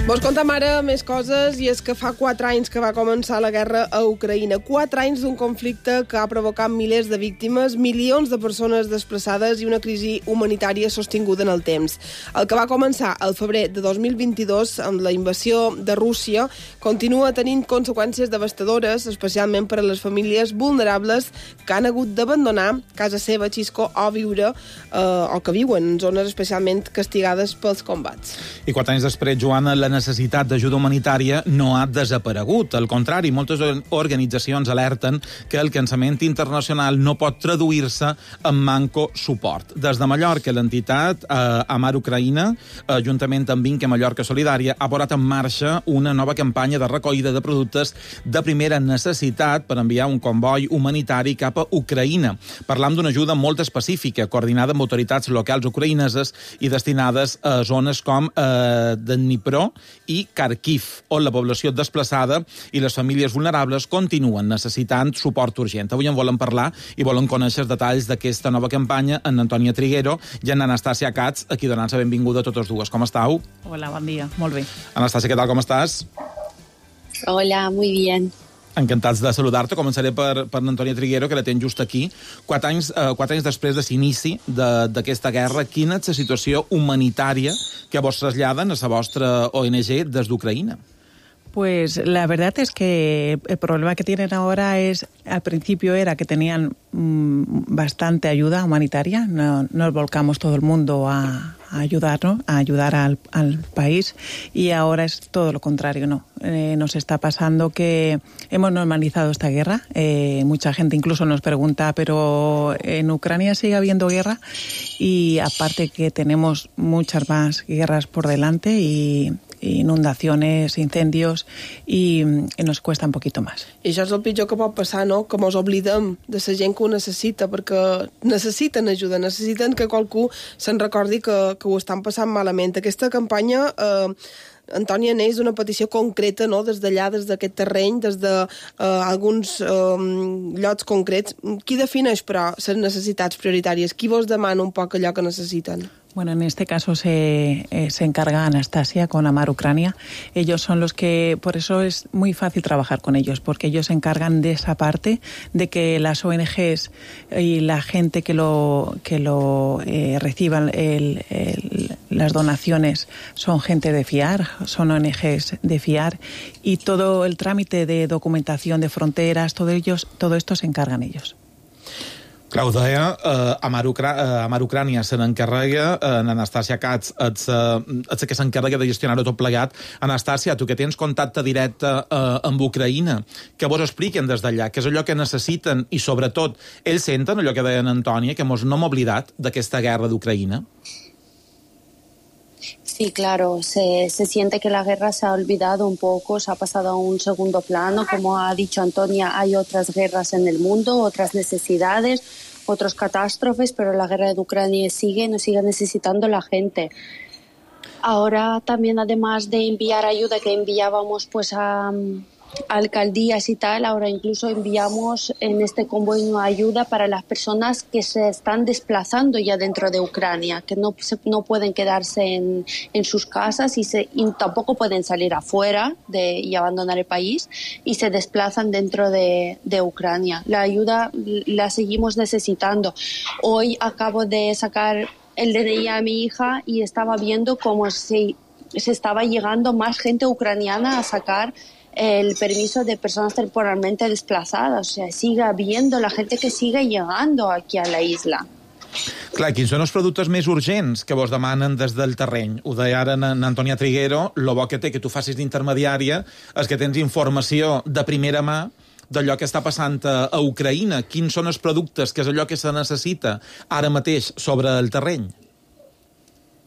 Vos contem ara més coses, i és que fa quatre anys que va començar la guerra a Ucraïna. Quatre anys d'un conflicte que ha provocat milers de víctimes, milions de persones desplaçades i una crisi humanitària sostinguda en el temps. El que va començar al febrer de dos mil vint-i-dos amb la invasió de Rússia continua tenint conseqüències devastadores, especialment per a les famílies vulnerables que han hagut d'abandonar casa seva, Xisco, o viure eh, o que viuen en zones especialment castigades pels combats. I quatre anys després, Joana, la necessitat d'ajuda humanitària no ha desaparegut. Al contrari, moltes organitzacions alerten que el cansament internacional no pot traduir-se en manco suport. Des de Mallorca, l'entitat eh, Amar Ucraïna, eh, juntament amb Vinca Mallorca Solidària, ha posat en marxa una nova campanya de recollida de productes de primera necessitat per enviar un comboi humanitari cap a Ucraïna. Parlam d'una ajuda molt específica, coordinada amb autoritats locals ucraïneses i destinades a zones com eh, de Dnipro i Kharkiv, on la població desplaçada i les famílies vulnerables continuen necessitant suport urgent. Avui en volen parlar i volen conèixer els detalls d'aquesta nova campanya en Antònia Triguero i en Anastàcia Katz, aquí donant-se benvinguda a totes dues. Com estàu? Hola, bon dia. Molt bé. Anastàcia, què tal, com estàs? Hola, muy bien. Encantats de saludar-te. Començaré per, per Antònia Triguero, que la tens just aquí. Quatre anys, eh, quatre anys després de l'inici d'aquesta guerra, quina és la situació humanitària que vos traslladen a la vostra O N G des d'Ucraïna? Pues la verdad es que el problema que tienen ahora es, al principio era que tenían mmm, bastante ayuda humanitaria, no, nos volcamos todo el mundo a, a ayudarnos, a ayudar al, al país, y ahora es todo lo contrario, ¿no? Eh, nos está pasando que hemos normalizado esta guerra, eh, mucha gente incluso nos pregunta, pero en Ucrania sigue habiendo guerra, y aparte que tenemos muchas más guerras por delante y inundaciones, incendios, i, i nos cuesta un poquito más. I això és el pitjor que pot passar, no? Que mos oblidem de la gent que ho necessita, perquè necessiten ajuda, necessiten que qualcú se'n recordi que, que ho estan passant malament. Aquesta campanya, eh, Antònia, neix d'una petició concreta, no? Des d'allà, des d'aquest terreny, des d'alguns de, eh, llocs concrets. Qui defineix, però, les necessitats prioritàries? Qui vos demana un poc allò que necessiten? Bueno, en este caso se, eh, se encarga Anastasia con Amar Ucrania. Ellos son los que, por eso es muy fácil trabajar con ellos, porque ellos se encargan de esa parte, de que las O N Ges y la gente que lo, que lo eh, reciban el, el, las donaciones son gente de fiar, son O N Ges de fiar, y todo el trámite de documentación de fronteras, todo, ellos, todo esto se encargan ellos. Clar, ho deia, eh, Amar, Ucra eh, Amar Ucrània se n'encarrega, eh, Anastàcia Katz ets, eh, ets que s'encarrega de gestionar-ho tot plegat. Anastàcia, tu que tens contacte directe eh, amb Ucraïna, que vos expliquen des d'allà, què és allò que necessiten i, sobretot, ells senten allò que deien Antònia, que mos no hem oblidat d'aquesta guerra d'Ucraïna? Sí, claro, se, se siente que la guerra se ha olvidado un poco, se ha pasado a un segundo plano. Como ha dicho Antonia, hay otras guerras en el mundo, otras necesidades, otras catástrofes, pero la guerra de Ucrania sigue, nos sigue necesitando la gente. Ahora también, además de enviar ayuda que enviábamos pues a, a alcaldías y tal, ahora incluso enviamos en este convoy ayuda para las personas que se están desplazando ya dentro de Ucrania, que no, se, no pueden quedarse en, en sus casas y, se, y tampoco pueden salir afuera de, y abandonar el país, y se desplazan dentro de, de Ucrania. La ayuda la seguimos necesitando. Hoy acabo de sacar el D N I a mi hija y estaba viendo cómo se, se estaba llegando más gente ucraniana a sacar el permiso de personas temporalmente desplazadas. O sea, sigue habiendo la gente que sigue llegando aquí a la isla. Clar, quins són els productes més urgents que vos demanen des del terreny? Ho deia ara en Antònia Triguero, lo bo que té que tu facis d'intermediària és que tens informació de primera mà d'allò que està passant a Ucraïna. Quins són els productes, que és allò que se necessita ara mateix sobre el terreny?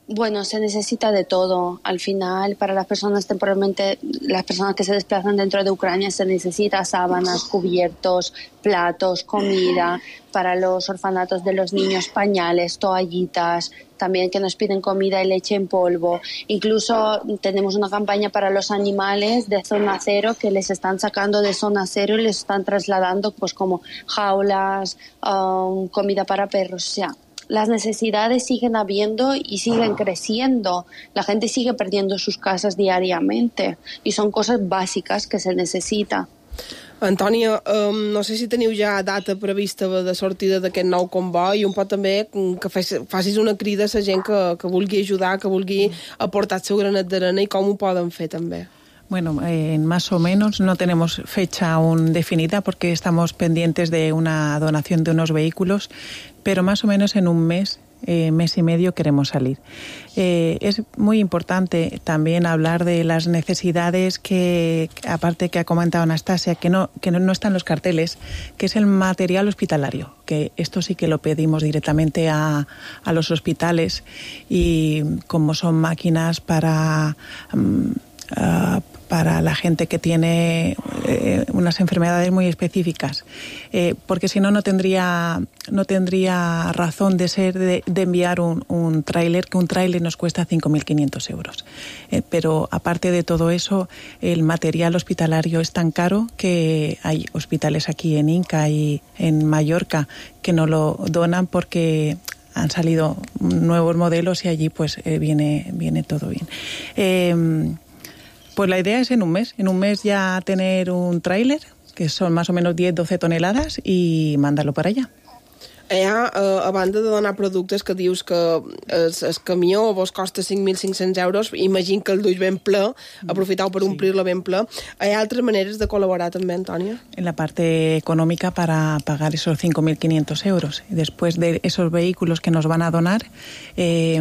Bueno, se necesita de todo. Al final, para las personas temporalmente, las personas que se desplazan dentro de Ucrania, se necesita sábanas, cubiertos, platos, comida. Para los orfanatos de los niños, pañales, toallitas, también que nos piden comida y leche en polvo. Incluso tenemos una campaña para los animales de zona cero, que les están sacando de zona cero y les están trasladando pues como jaulas, um, comida para perros, o sea, las necesidades siguen habiendo y siguen creciendo. La gente sigue perdiendo sus casas diariamente y son cosas bàsiques que se necessita. Antònia, um, no sé si teniu ja data prevista de sortida d'aquest nou comboi i un poc també que facis una crida a la gent que, que vulgui ajudar, que vulgui aportar el seu granet d'arena i com ho poden fer també. Bueno, eh, más o menos no tenemos fecha aún definida porque estamos pendientes de una donación de unos vehículos, pero más o menos en un mes, eh, mes y medio queremos salir. Eh, es muy importante también hablar de las necesidades que, aparte que ha comentado Anastasia, que no, que no, no están los carteles, que es el material hospitalario, que esto sí que lo pedimos directamente a, a los hospitales y como son máquinas para... Um, Uh, para la gente que tiene eh, unas enfermedades muy específicas, eh, porque si no no tendría no tendría razón de ser de, de enviar un, un tráiler, que un tráiler nos cuesta cinco mil quinientos euros. Eh, pero aparte de todo eso, el material hospitalario es tan caro que hay hospitales aquí en Inca y en Mallorca que no lo donan porque han salido nuevos modelos y allí pues eh, viene, viene todo bien. Eh, Pues la idea es en un mes, en un mes ya tener un tráiler, que son más o menos diez a doce toneladas, y mandarlo para allá. Ja, a banda de donar productes que dius que el, el camió vos costa cinc mil cinc-cents euros, imagino que el duix ben ple, aprofitau per omplir-lo ben ple. Hi ha altres maneres de col·laborar també, Antònia? En la parte económica para pagar esos cinco mil quinientos euros. Después de esos vehículos que nos van a donar, eh,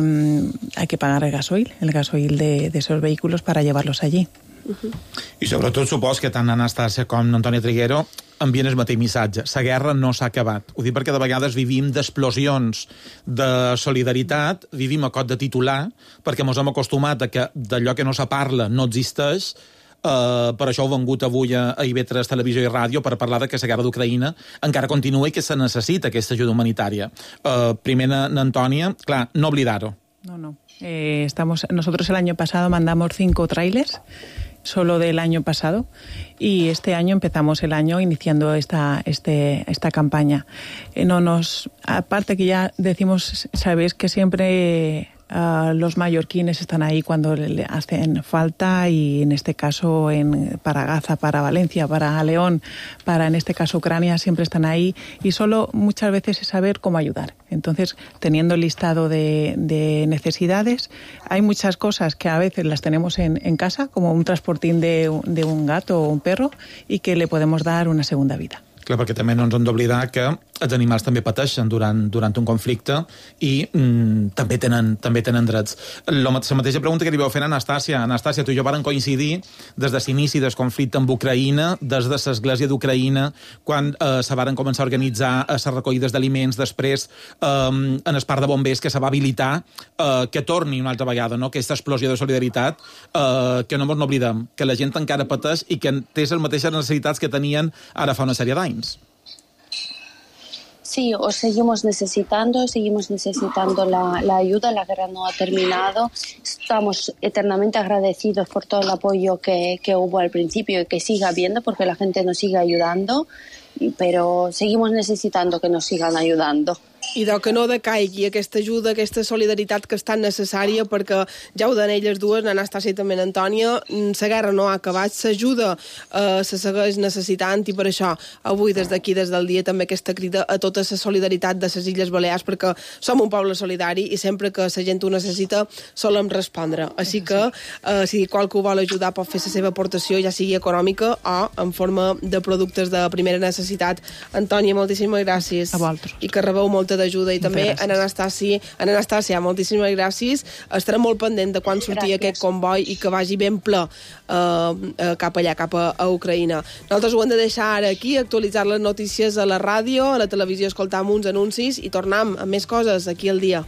hay que pagar el gasoil, el gasoil de, de esos vehículos para llevarlos allí. Uh-huh. I sobretot supos que tant Anastasia com Antònia Triguero envien el mateix missatge. La guerra no s'ha acabat. Ho dic perquè de vegades vivim d'explosions de solidaritat, vivim a cot de titular, perquè ens hem acostumat a que d'allò que no se parla no existeix. Uh, per això heu vengut avui a, a I V tres Televisió i Ràdio per parlar de que la guerra d'Ucraïna encara continua i que se necessita aquesta ajuda humanitària. Uh, primer, Antònia, clar, no oblidar-ho. No, no. Eh, estamos, nosotros el año pasado mandamos cinco trailers, solo del año pasado, y este año empezamos el año iniciando esta este esta campaña. Eh, no nos, aparte que ya decimos, sabéis que siempre uh, los mallorquines están ahí cuando le hacen falta, y en este caso en, para Gaza, para Valencia, para León, para en este caso Ucrania, siempre están ahí, y solo muchas veces es saber cómo ayudar. Entonces, teniendo el listado de, de necesidades, hay muchas cosas que a veces las tenemos en, en casa, como un transportín de, de un gato o un perro, y que le podemos dar una segunda vida. Clar, perquè també no ens hem d'oblidar que els animals també pateixen durant, durant un conflicte i mm, també, tenen, també tenen drets. La mateixa pregunta que li vau fer a Anastàcia. Anastàcia, tu i jo varen coincidir des de l'inici del conflicte amb Ucraïna, des de l'Església d'Ucraïna, quan eh, se varen començar a organitzar les recollides d'aliments, després eh, en el parc de bombers que se va habilitar eh, que torni una altra vegada, no? Aquesta explosió de solidaritat, eh, que no ens n'oblidem, que la gent encara pateix i que té les mateixes necessitats que tenien ara fa una sèrie d'anys. Sí, os seguimos necesitando, seguimos necesitando la, la ayuda, la guerra no ha terminado. Estamos eternamente agradecidos por todo el apoyo que, que hubo al principio y que siga habiendo, porque la gente nos sigue ayudando, pero seguimos necesitando que nos sigan ayudando. I de que no decaigui aquesta ajuda, aquesta solidaritat que és tan necessària, perquè ja ho deien elles dues, Anastàcia i també Antònia, la guerra no ha acabat, s'ajuda, eh, se segueix necessitant, i per això avui des d'aquí, des del dia, també aquesta crida a tota la solidaritat de les Illes Balears, perquè som un poble solidari i sempre que la gent ho necessita solem respondre. Així que eh, si qualcú vol ajudar pot fer la seva aportació, ja sigui econòmica o en forma de productes de primera necessitat. Antònia, moltíssimes gràcies. A vosaltres. I que rebeu molta d'ajuda, i també en Anastàcia, en Anastàcia, moltíssimes gràcies. Estarem molt pendent de quan sortia gràcies. Aquest comboi i que vagi ben ple eh, cap allà, cap a, a Ucraïna. Nosaltres ho hem de deixar ara aquí, actualitzar les notícies a la ràdio, a la televisió, escoltar uns anuncis i tornem amb més coses aquí al dia.